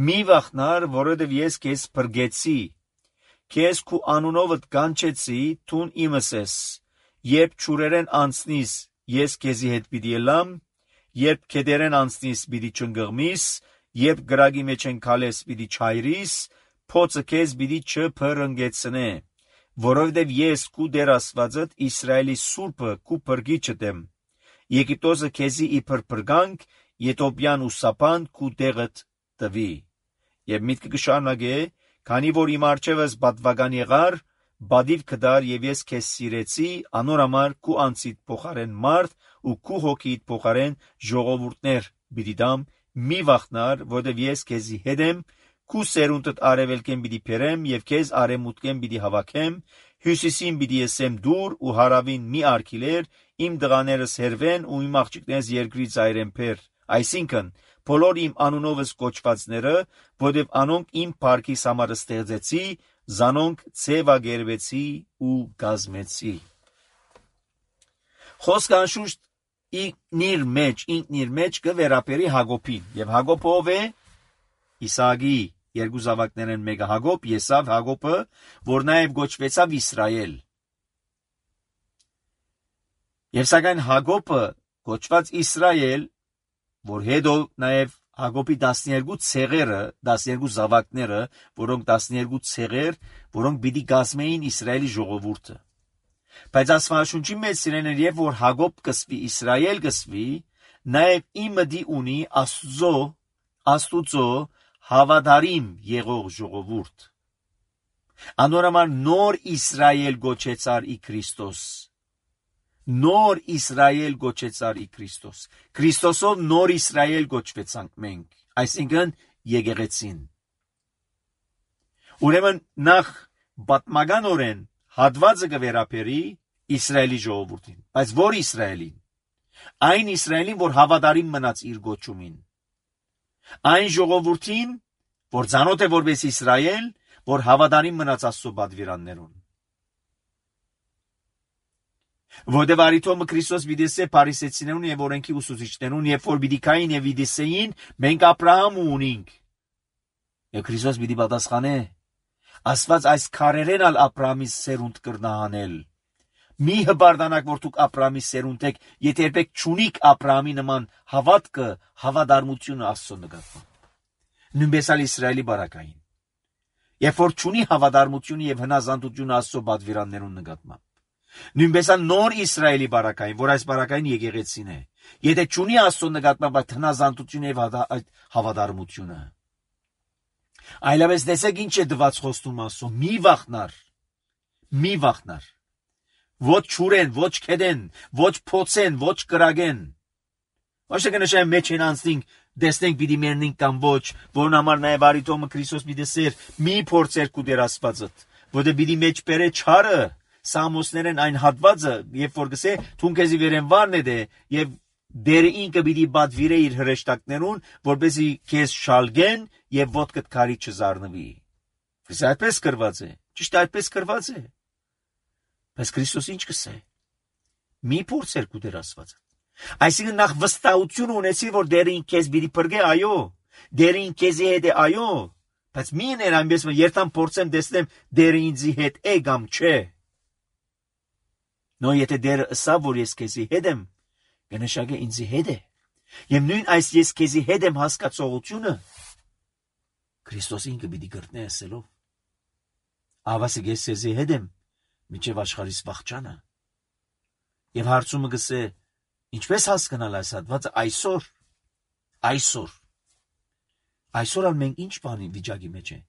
մի վախնար, որովհետև ես քեզ փրկեցի, քեզ քու անունովդ կանչեցի, թուն իմս ես, երբ ճուրերեն անցնիս, ես քեզի հետ պիտի ելամ, երբ քեդերեն անցնիս, պիտի չընկղմիս, երբ գրագի մեջ են քալես, պիտի չայրիս, փոցը քեզ պիտի չփրկեցնե, որովհետև ես քու Տեր Աստվածդ Իսրայելի Սուրբը քու փրկիչդ եմ, Եգիպտոսը քեզի իբր փրկանք, Եթովպիան ու Սապան քու տեղդ տվի։ Եվ միտքը կշարունակե, քանի որ իմ առջևս պատվական եղար, բադիվ կդար եւ ես քեզ սիրեցի, անոր համար քու անցիդ փոխարեն մարդ ու քու հոգիդ փոխարեն ժողովուրդներ պիտի դամ, մի վախնար, որովհետև ես քեզի հետ եմ, քու սերունդդ արևելքեն պիտի բերեմ եւ քեզ արևմուտքեն պիտի հավաքեմ, հյուսիսին պիտի եսեմ դուր ու հարավին մի արգիլեր, իմ դղաներս հերվեն ու իմ աղջիկներս երկրից այրեն փեր, այսինքն բոլոր իմ անունովս կոչվածները, որովհետև անոնք իմ փառքիս համար ստեղծեցի, զանոնք ձևագերբեցի ու գազմեցի։ Խոսքը անշուշտ ինքնիր մեջ կվերապերի Հակոբին, եւ Հակոբը ով է? Իսահակի երկու զավակներն մեկը Հակոբ, Եսավ Հակոբը, որ նաեւ գոչվեցավ Իսրայել։ Եվ սակայն Հակոբը գոչված Իսրայել որ հետո նաև Հակոբի 12 ցեղերը, 12 զավակները, որոնք 12 ցեղեր, որոնք պիտի կազմեին Իսրայելի ժողովուրդը։ Բայց Աստվածաշունչի մեջ սիրելիներ, երբ որ Հակոբ կսվի, Իսրայել կսվի, նաև իմդի ունի Աստուծո հավատարիմ եղող ժողովուրդ։ Անորոմար նոր Իսրայել գոչեցար ի Քրիստոս։ Նոր Իսրայել գոչեցար ի Քրիստոս։ Քրիստոսով նոր Իսրայել գոչվեցանք մենք, այսինքն եկեղեցին։ Ուրեմն նախ պատմականորեն հատվածը կվերապերի Իսրայելի ժողովրդին, բայց որ Իսրայելին։ Այն Իսրայելին, որ հավատարիմ մնաց իր գոչումին։ Այն ժողովրդին, որ ցանոթ է որպես Իսրայել, որ հավատարիմ մնաց Աստծո պատվիրաններուն։ Որտեղ արիթոմը Քրիստոս վիդեսե փարիսեցիներուն եւ օրենքի ուսուցիչներուն, երբ որ պիտի կային եւ վիդեսեին, մենք Աբրահամ ունենք։ Եվ Քրիստոս պիտի պատասխանե. Աստված այս քարերեն ալ Աբրահամի սերունդ կրնահանել։ Մի հբարդանակ, որ դուք Աբրահամի սերունդ եք, եթե երբեք չունիք Աբրահամի նման հավատքը, հավատարմությունը Աստծո նկատմամբ։ Նույնպես ալ Իսրայելի բարակային։ Երբ որ չունի հավատարմությունը եւ հնազանդությունը Աստծո պատվիրաններուն նկատմամբ։ Նույնպես ալ նոր Իսրայելի բարակային, որ այս բարակային եկեղեցին է։ Եթե չունի Աստծո նկատմամբ այդ հնազանդությունը եւ այդ հավատարմությունը։ Այլապես տեսեք ինչ է դված խոստում Աստծո. մի վախնար։ Ոչ չուրեն, ոչ քեդեն, ոչ փոցեն, ոչ կրագեն։ Ոչ թե կնշեմ մեջ են անցնենք, դեսնենք պիտի մեռնենք կամ ոչ, որն համար նաև արիթոմը Քրիստոս պիտի սեր, մի փորձեր կու դեր Աստվածդ, որտե պիտի մեջ բերե չարը, Սամոսներեն այն հատվածը, երբ որ գսե, թուն քեզի վերեն վարն է դե, եւ դերը ինքը պիտի բադվիրե իր հրեշտակներուն, որպեսզի քեզ շալգեն եւ ոտքդ քարի չզառնվի։ Իսկ այդպես կրված է, ճիշտ այդպես կրված է։ Բայց Քրիստոս ինչ կսե։ Մի փորձեր կու դեր Աստվածը։ Այսինքն նախ վստահություն ունեցի, որ դերը ինք քեզ պիտի բրգե, այո, դերը ինք քեզի հետ է, այո, բայց մի ներ այնպես որ երթամ փորձեմ տեսնեմ դերը ինձի հետ է կամ չէ։ Նո եթե դերը ըսա որ ես քեզի հետ եմ, կնշանակե ինձի հետ է։ Եվ նույն այս ես քեզի հետ եմ հասկացողությունը Քրիստոս ինքը պիտի գրտնե ասելով. Ավասիկ ես քեզի հետ եմ, միջև աշխարհիս վախճանը։ Եվ հարցումը գսե. ինչպես հասկանալ այս հատվածը այսօր ալ մենք ինչ բանի վիճակի մեջ է։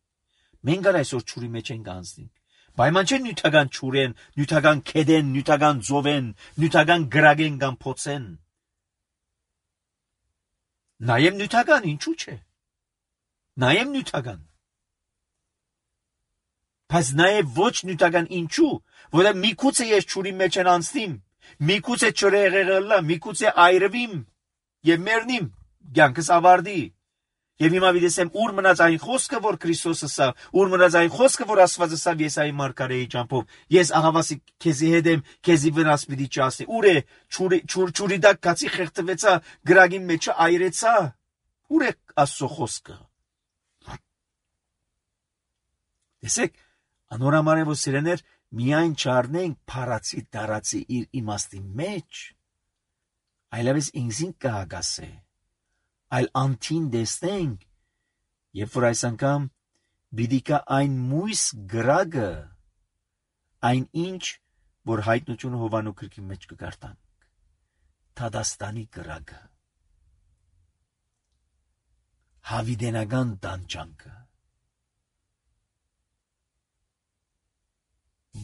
Մենք ալ այսօր ճուրի մեջ ենք անցնենք։ Պայման չէ նյութական ճուրեն, նյութական քեդեն, նյութական ձովեն, նյութական գրագեն կամ փոցեն։ Նայեմ նյութական, ինչու՞ չէ։ Նայեմ նյութական։ Բայց նայեմ ոչ նյութական ինչու, որովհետև միգուցե ես ճուրի մեջ են անցնիմ, միգուցե չրեղեղլա, միգուցե այրվիմ եւ մեռնիմ, կյանքս ավարտի։ Եվ հիմա վիդեսեմ ուր մնաց այն խոսքը, որ Քրիստոսը սա, ուր մնաց այն խոսքը, որ Աստվածը սա Եսայի մարգարեի ճամփով։ Ես ահավասիկ քեզի հետ եմ, քեզի վնաս պիտի չասի։ Ուր է ճուրի դակ կացի խեղդվեցա, գրագին մեջը այրեցա։ Ուր է Աստծո խոսքը։ Տեսեք, անորամար է որ սիրեներ միայն չառնենք փարացի դարացի իր իմաստի մեջ, այլևս ինքզին կհագասե, այլ անթին դեսնենք, երբ որ այս անգամ բիդիկա այն մույս գրագը, այն ինչ, որ հայտնությունը Հովանու գրքի մեջ կգարտանք, Թադաստանի գրագը, հավիդենական տանջանքը,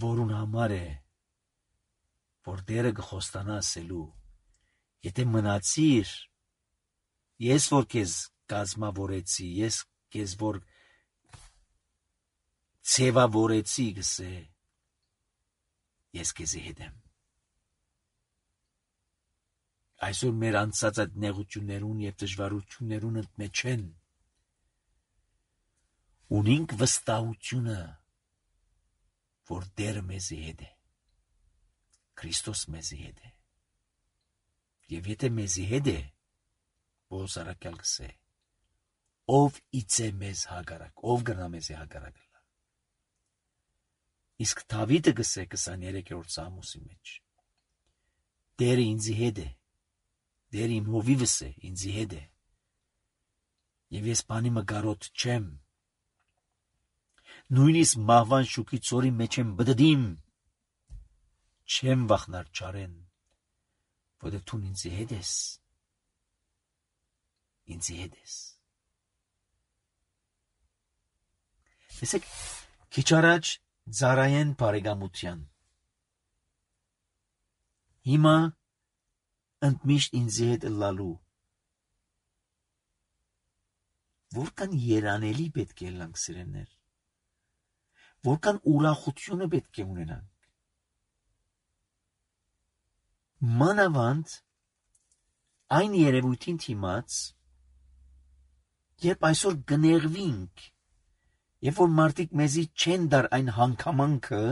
որուն համար է, որ դերը գխոստանա ասելու, եթե մնացիր, ես որ քեզ կազմավորեցի, ես քեզ որ ցևավորեցի գսե, ես քեզի հետ եմ։ Այսօր մեր անցած այդ նեղություններուն եւ դժվարություններուն մեջ են, ունենք վստահությունը, որ դերը մեզի հետ է, Քրիստոս մեզի հետ է, եւ եթե մեզի հետ է, Պողոս առաքյալ գսե, ով իծե մեզ հագարակ, ով գրնա մեզի հագարակ լա։ Իսկ Դավիթը գսե 23-րդ Սամոսի մեջ, դերը ինձի հետ է, դեր իմ հովիվս է, ինձի հետ է, և ես բանի մգարոտ չեմ, նույնիսկ մահվան շուքի ծորի մեջ եմ բդդիմ, չեմ վախնար չարեն, որտեղ դու ինձի հետ ես, ինձի հետ ես։ Տեսեք, քիչ առաջ ծառայեն բարեկամության։ Հիմա ընդմիշտ ինձի հետ ըլլալու։ Որքան երանելի պետք է լանք սիրեններ, որքան ուրախությունը պետք է ունենանք։ Մանավանդ այն երևույթին դիմաց, երբ այսօր գներվինք, երբ որ մարդիկ մեզի չեն դար այն հանգամանքը,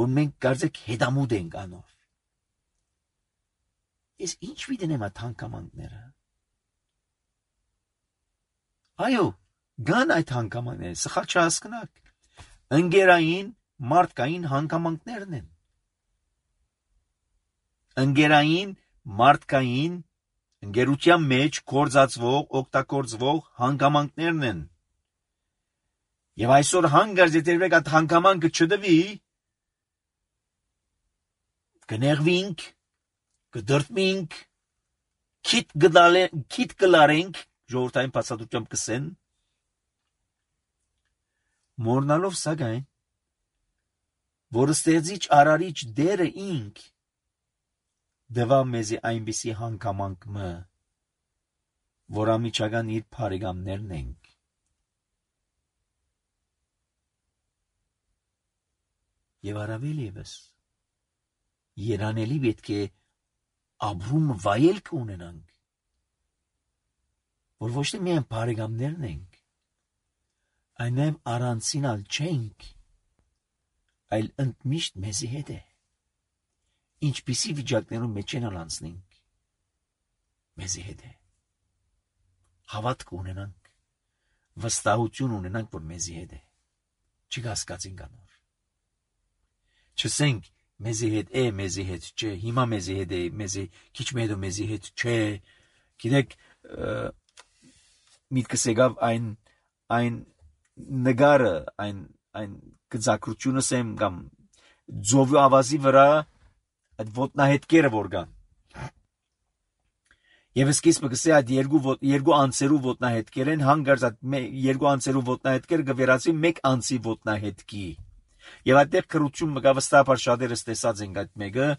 որ մենք կարծեք հետամուտ ենք անոր։ Ես ինչ վիդենեմ այդ հանգամանքները։ Այո, գան այդ հանգամանքները, սխալ չհասկնաք։ Ընկերային, մարդկային հանգամանքներն են։ Ընկերային, մարդկային, ընկերության մեջ գործածվող, օգտագործվող հանգամանքներն են։ Եվ այսօր հանգարց եթե այդ հանգամանքը չդվի, կներվինք, կդրտմինք, քիթ կլարենք, ժողովրդային բացատրությամբ կսեն, մոռնալով սակայն, որ ստեղծիչ արարիչ դերը ինք դվա մեզի այնպիսի հանգամանքը, որ ամիջական իր բարեկամներն ենք։ Եվ առավել ևս երանելի պետք է ապրում վայելք ունենանք, որ ոչ թե միայն բարեկամներն ենք, այնև առանցինալ չենք, այլ ընդմիշտ մեզի հետ է, ինչպիսի վիճակներում մեջ են անցնենք, մեզի հետ է, հավատք ունենանք, վստահություն ունենանք, որ մեզի հետ է, չկասկածենք անոր, չսենք մեզի հետ է, մեզի հետ չէ, հիմա մեզի հետ է, քիչ հետո մեզի հետ չէ, գիտեք, միտքս եկավ այն նգարը, այն գծակրությունս եմ կամ ձովի ավազի վրա այդ ոտնահետքերը որ կան։ Եվ սկիզբը կսե այդ երկու անձերու ոտնահետքեր են, հանգարց այդ երկու անձերու ոտնահետքերը կվերածվի մեկ անձի ոտնահետքի։ Եվ այդտեղ քրություն մգա վստահաբար շատերս տեսած ենք այդ մեկը,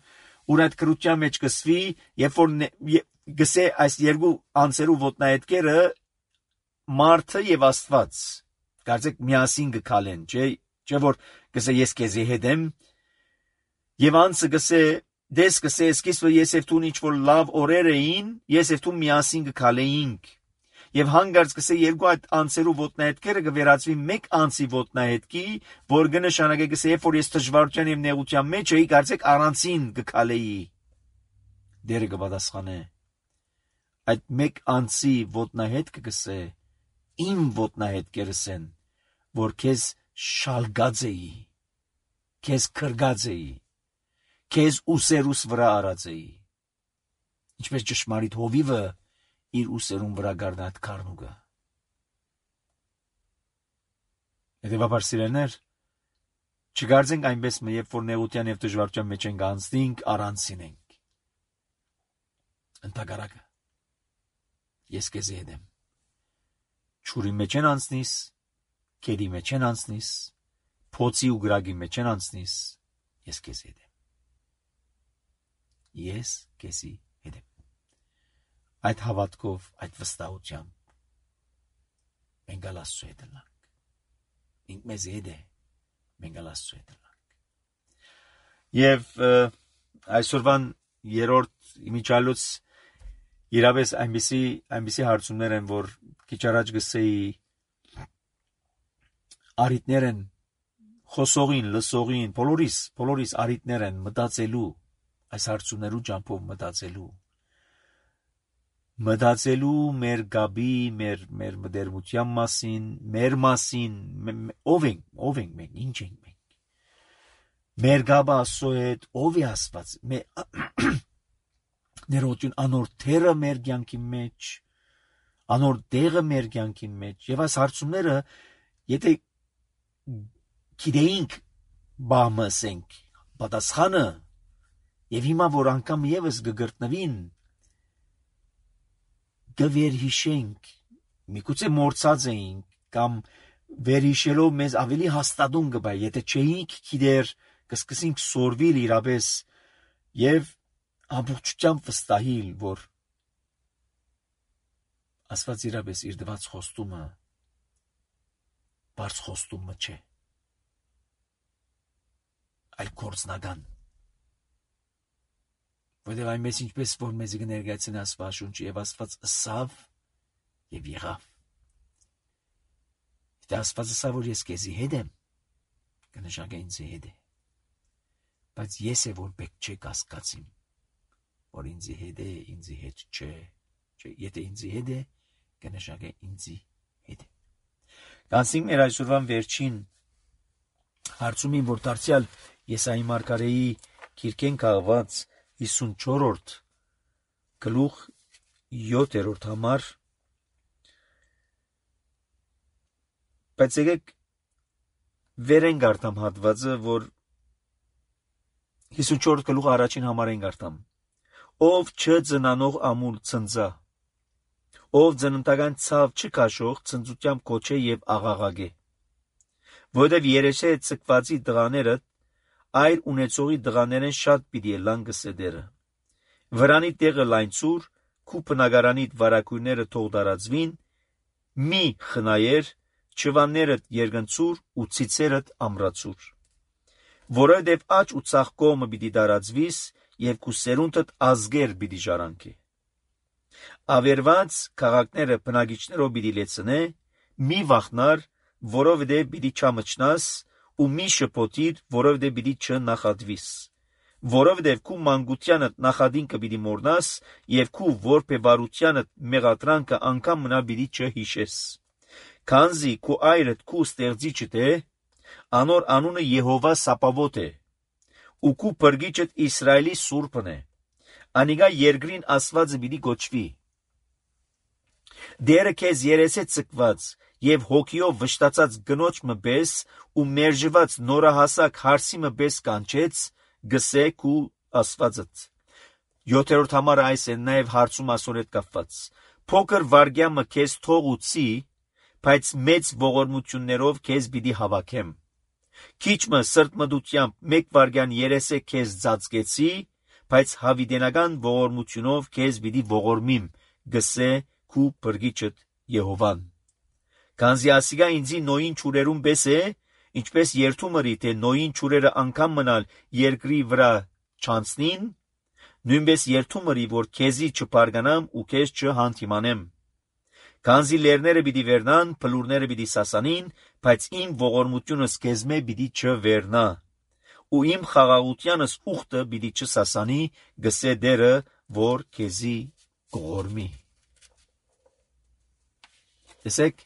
ուր այդ քրության մեջ կսվի, երբ որ գսե այս երկու անձերու ոտնահետքերը մարդը եւ Աստված կարծեք միասին կքալեն, չէ՞ որ գսե ես քեզի հետ եմ եւ անձը գսե դես գսե սկիզբը ես եւ դու ինչ որ լավ օրեր էին, ես եւ դու միասին կքալեինք եւ հանգարց գսե երկու այդ անձերու ոտնահետքերը կվերածվի մեկ անձի ոտնահետքի, որ կնշանակե գսե երբ որ ես դժվարության եւ նեղության մեջ էի, կարծեք առանցին կքալեի։ Դերը կպատասխանե այդ մեկ անձի ոտնահետքը գսե իմ ոտնահետքերս են, որ քեզ շալգած էի, քեզ քրգած էի, քեզ ուսերուս վրա արած էի։ Ինչպես ճշմարիտ հովիվը իր ուսերուն վրա գարնա այդ քարնուկը։ Հետևաբար սիրելիներ, չգարձենք այնպես երբ որ նեղության եւ դժվարության մեջ ենք անցնենք, առանցին ենք։ Ընդհակառակը ես քեզ հետ եմ։ Չուրի մեջ են անցնիս, կերի մեջ են անցնիս, փոցի ու գրագի մեջ են անցնիս, ես քեզ հետ եմ։ Ես քեզի հետ եմ։ Այդ հավատքով, այդ վստահությամբ մենք Աստծո հետ ենք։ Ինք մեզ հետ է, մենք Աստծո հետ ենք։ Եվ այսօրվան երրորդ իմիջալուց իրավես այնպիսի հարցումներ են, որ քիչ առաջ գսեի արիտներ են խոսողին, լսողին, բոլորիս արիտներ են մտածելու, այս հարցումներու ճամփով մտածելու մեր գաբի, մեր մտերմության մասին, մեր մասին, ով ենք մենք, ինչ ենք մենք։ Մեր գաբը Աստծո հետ, ով է Աստված։ ներողություն անոր թերը մեր կյանքի մեջ, անոր դեղը մեր կյանքի մեջ, եւ այս հարցումները եթե գիտեինք բամասենք պատասխանը եւ հիմա որ անգամ եւս գգրտնվին գվերհիշենք միգուցե մորցած էինք կամ վերհիշելով մեզ ավելի հաստատուն կբա եթե չէինք գիտեր կսկսենք սորվիլ իրապես եւ ամբողջությամբ վստահիլ որ Աստված իրապես իր դված խոստումը բարձ խոստումը չէ այլ կորցնական որտեղ այնպես ինչպես որ մեզ կներկայացնի Աստվածաշունչը եւ Աստված ըսավ եւ եղավ Եթե Աստված ասա որ ես քեզի հետ եմ կնշանակի ինձ հետ է բայց ես է որ պետք չէ կասկածիմ որ ինձ հետ է ինձ հետ չէ եթե ինձ հետ է կնշանակի ինձ հետ է Կանցնենք մեր այսօրվան վերջին հարցումին որ դարձյալ Եսայի մարգարեի գիրքեն քաղված 54-րդ գլուխ 7-րդ համար բայց եկեք վերեն գարտամ հատվածը որ 54-րդ գլուխ առաջին համարեն գարտամ ով չծնանող ամուլ ցնծա ով ծննդական ցավ չքաշող ցնծությամբ կոչե եւ աղաղագե որովհետեւ երեշե ցկվածի դղաները այր ունեցողի դղաներեն շատ պիտի լան գսեդերը վրանի տեղը լայնցուր քու բնակարանիդ վարակույրները թող դարածվին մի խնայեր չվաններդ երգնցուր ու ցիցերդ ամրացուր որովհետև աճ ու ցախ կողմը պիտի դարածվիս եւ քու սերունդդ ազգեր պիտի ժառանգի ավերված քաղաքները բնակիչներով պիտի լեցնե մի վախնար որովհետև պիտի չամճնաս ու մի շփոթիր որովհետև պիտի չնախադվիս որովհետև քու մանկությանդ նախադինքը պիտի մոռնաս եւ քու որբեվարությանդ մեղադրանքը անգամ մնա պիտի չհիշես Քանզի քու այրդ քու ստեղծիչդ է, անոր անունը Եհովա Սապավոտ է, ու քու բրգիչդ Իսրայելի Սուրբն է, անիգա երկրին Աստվածը պիտի գոչվի։ Դերը քեզ երես է ցկված եւ հոգիով վշտացած գնոջ մբես ու մերժված նորահասակ հարսի մբես կանչեց, գսե քու Աստվածդ։ 7-րդ համարը այս է նաեւ հարցում ասոր հետ կապված։ Փոքր վարգյամը քեզ թողուցի բայց մեծ ողորմություններով քեզ պիտի հավաքեմ։ Քիչմը սրտմտությամբ մեկ վարգյան երեսե քեզ ծածկեցի, բայց հավիտենական ողորմությունով քեզ պիտի ողորմիմ, գսե քու բրգիչդ Եհովան։ Քանզի ասիգա ինձի նոյին ճուրերուն պես է, ինչպես երթումըրի թե նոյին ճուրերը անգամ մնալ երկրի վրա չանցնին, նույնպես երթումըրի որ քեզի չբարգանամ ու քեզ չհանդիմանեմ։ Քանզի լերները պիտի վերնան, փլուրները պիտի սասանին, բայց իմ ողորմությունս քեզմե պիտի չվերնա, ու իմ խաղաղությանս ուխտը պիտի չսասանի, գսե դերը, որ քեզի կողորմի։ Տեսեք,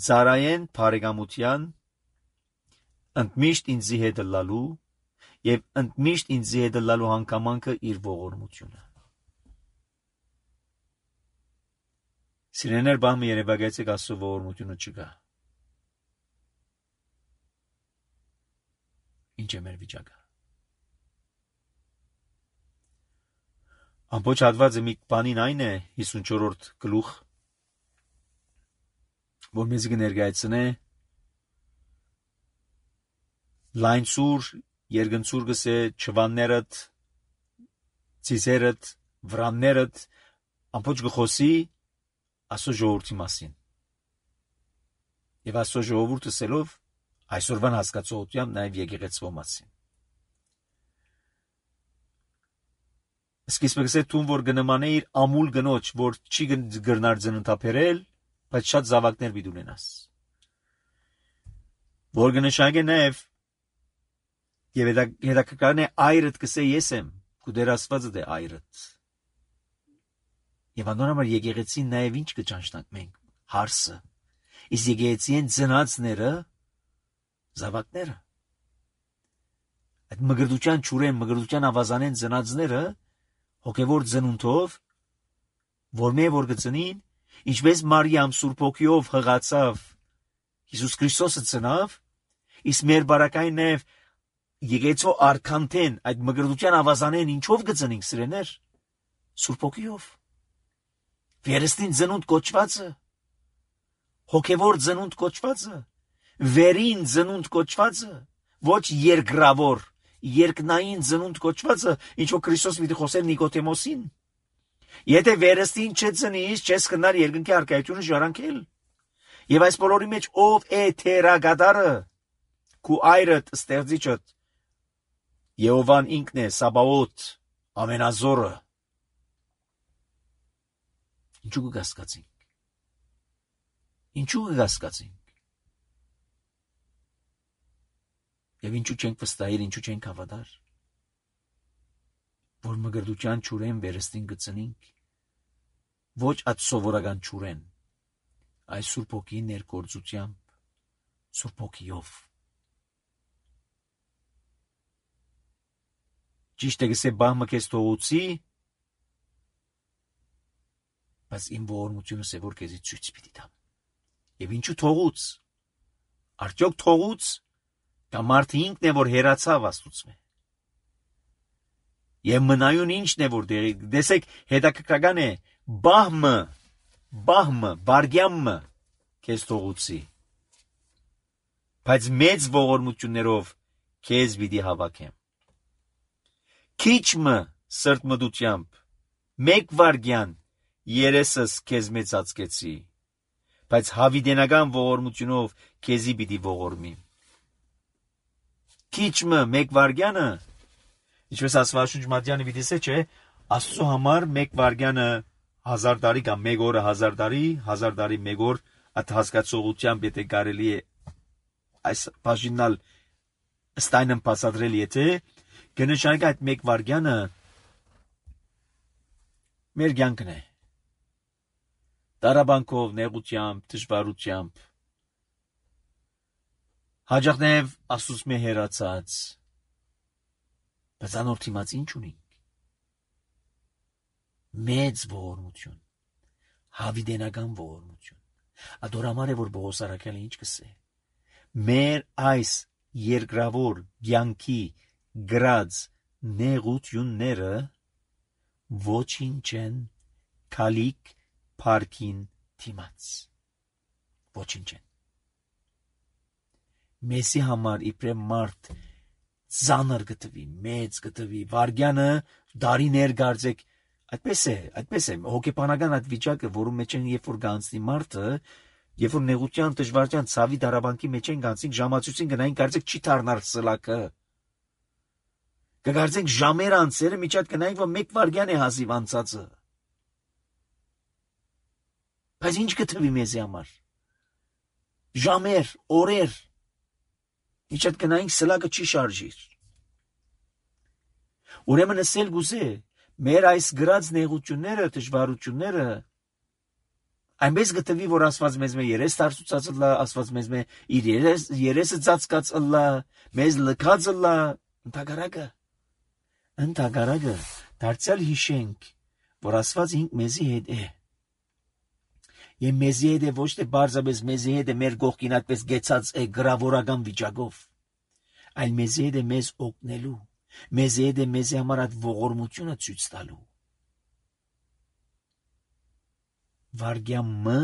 ծարայեն բարեկամության, ընդմիշտ ինձի հետ լալու, եւ ընդմիշտ ինձի հետ լալու հանգամանքը իր ողորմությունը։ Սիրեներ բամը երևակայեցեք Աստծո ողորմությունը չկա։ Ինչ է մեր վիճակը։ Ամբողջ հատվածը մի բանին այն է 54-րդ գլուխ, որ մեզ կներկայացնե լայնցուր, երգնցուր գսե չվաններդ, ցիզերդ, վրաններդ, ամբողջ գխոսի Աստծո ժողովրդի մասին։ Եվ Աստծո ժողովուրդը սելով այսօրվան հասկացողությամբ նաև եկեղեցվո մասին։ Սկիզբը գսե տուն որ գնմանե իր ամուլ գնոջ, որ չի գրնար ծննդապերել, բայց շատ զավակներ պիտի ունենաս։ Որ կնշանակե նաև եւ հետաքրքրն է այրդ գսե ես եմ, քու դեր Աստվածը դե այրդ։ Եվ անոնամար եկեղեցին նաև ինչ կճանչնանք մենք, հարսը, իսկ եկեղեցին ծնածները, զավակները, այդ մգրդության ճուրեն, մգրդության ավազանեն ծնածները, հոգևոր ծնունդով, որ մե որ գծնին, ինչպես Մարիամ Սուրբ Հոգիով հղացավ Հիսուս Քրիստոսը ծնավ, իսկ մեր բարակային նաև Եկեղեցու արքանտեն այդ մգրտության ավազանեն ինչով գծնինք սիրեներ, Սուրբ Հոգիով, վերստին ծնունդ կոչվածը, հոգևոր ծնունդ կոչվածը, վերին ծնունդ կոչվածը, ոչ երկրավոր, երկնային ծնունդ կոչվածը, ինչով Քրիստոս պիտի խոսել Նիկոդեմոսին։ Եթե վերստին չծնείς, չես կնար երկնքի առկայությունը ժառանգել։ Եվ այս բոլորի մեջ ով է թերագադարը, քու այրդ ստեղծիչդ, Եհովան ինքն է, Սաբաոթ, ամենազորը։ Ինչու կգասկածենք։ Ինչու կգասկածենք։ Եվ ինչու չենք վստահել, ինչու չենք հավատար, որ մգրտության ճուրեն վերստին գծնինք, ոչ այդ սովորական ճուրեն, այս Սուրբ Հոգի ներգործությամբ, Սուրբ Հոգիով։ Ճիշտ է գսե բահմը քեզ թողուցի, բայց իմ ողորմությունս է, որ քեզի ցույց պիտի տամ։ Եվ ինչու թողուց։ Արդյոք թողուց, կամ մարդը ինքն է, որ հերացավ Աստծուց։ Եվ մնայուն ինչն է, որ դեսեք հետաքրքրական է, բահմը, վարգյամը քեզ թողուցի, բայց մեծ ողորմություններով քեզ պիտի հավաքեմ։ Քիչմը սրտմտությամբ, մեկ վարգյան երեսս քեզ մեծացկեցի, բայց հավիդենական ողորմությունով քեզի պիտի ողորմիմ։ Քիչմը մեկ վարգյանը, ինչպես Աստվածաշունչ Մատթեանը պիտի ասե, չէ, Աստծո համար մեկ վարգյանը 1000 տարի կամ մեկ օրը 1000 տարի, 1000 տարի մեկ օր, այդ հասկացողությամբ եթե կարելի է այս բաժինալ ստայնն բացատրել, եթե կնշանակի այդ մեկ վարգյանը մեր կյանքն է։ Տարաբանքով, նեղությամբ, դժվարությամբ, հաճախ նաև Աստծուց մե հեռացած, բայց անոր թիմած ինչ ունենք։ Մեծ ողորմություն, հավիդենական ողորմություն։ Ադորամար է, որ Պողոս առաքյալը ինչ կսե։ Մեր այս երկրավոր կյանքի գրած նեղությունները ոչինչ են քալիք փարքին թիմած։ Ոչինչ են։ Մեսի համար իբրև մարդ ծանր գտվի, մեծ գտվի, վարգյանը դարիներ գարձեք, այդպես է, հոգեբանական այդ վիճակը, որում մեջ են երբ որ գանցնի մարդը, երբ որ նեղության, դժվարության, ցավի դարաբանքի մեջ են գանցնի, ժամացույցին գնային կարծեք չի դառնար սլակը։ Կգարձենք ժամեր անցերը միջատ գնային, որ մեկ վարգյան է հազիվ անցածը։ Բայց ինչ գտվի մեզի համար։ Ժամեր, օրեր, միջատ գնային սլակը չի շարժիր։ Ուրեմն ասել գուզե, մեր այս գրած նեղությունները, դժվարությունները այնպես գտվի, որ Աստված մեզ երես դարձուցած լա, Աստված մեզ իր երեսը ծածկած լա, մեզ լքած լա, ընդհակառակը դարձյալ հիշենք, որ Աստված ինք մեզի հետ է։ Եվ մեզի հետ է ոչ թե բարձրապես մեզի հետ է մեր կողքին այդպես գեցած է գրավորական վիճակով, այլ մեզի հետ է մեզ օգնելու, մեզի հետ է մեզի համար այդ ողորմությունը ցույց տալու։ Վարգյամը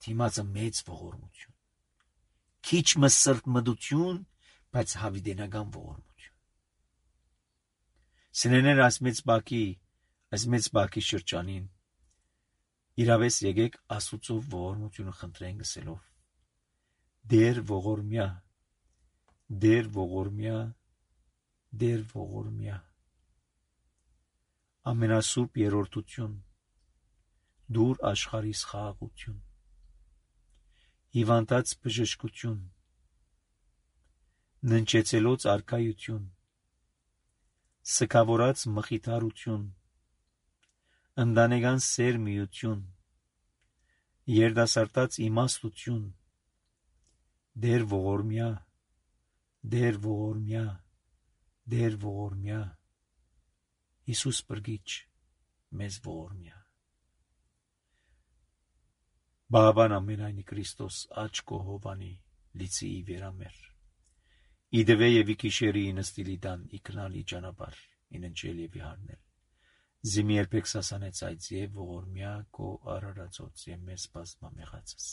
թիմածը մեծ ողորմություն, քիչմը սրտմտություն, բայց հավիդենական ողորմություն։ Սիրելիներ, այս մեծ բակի շրջանին իրավես եկեք Աստծո ողորմությունը խնդրենք գսելով. Դեր ողորմյա, դեր ողորմյա, դեր ողորմյա, ամենասուրբ երրորդություն, դուր աշխարհիս խաղաղություն, հիվանդած բժշկություն, ննջեցելոց արքայություն, սքավորած մխիթարություն, ընտանեկան սերմիություն, երդասարտած իմաստություն, դեր ողորմյա, դեր ողորմյա, դեր ողորմյա, Հիսուս բրգիչ մեզ ողորմյա։ Բավան ամենայնի Քրիստոս աչ կողովանի լիցի վերամեր։ Իդվե եվի կիշերի նստիլի դան իքնալի ճանապար ինընջել եվի հարնել։ Զիմի երբեք սասանեց այդ եւ ողորմյա կո արարածոց եւ մեզ բազմամեղացս։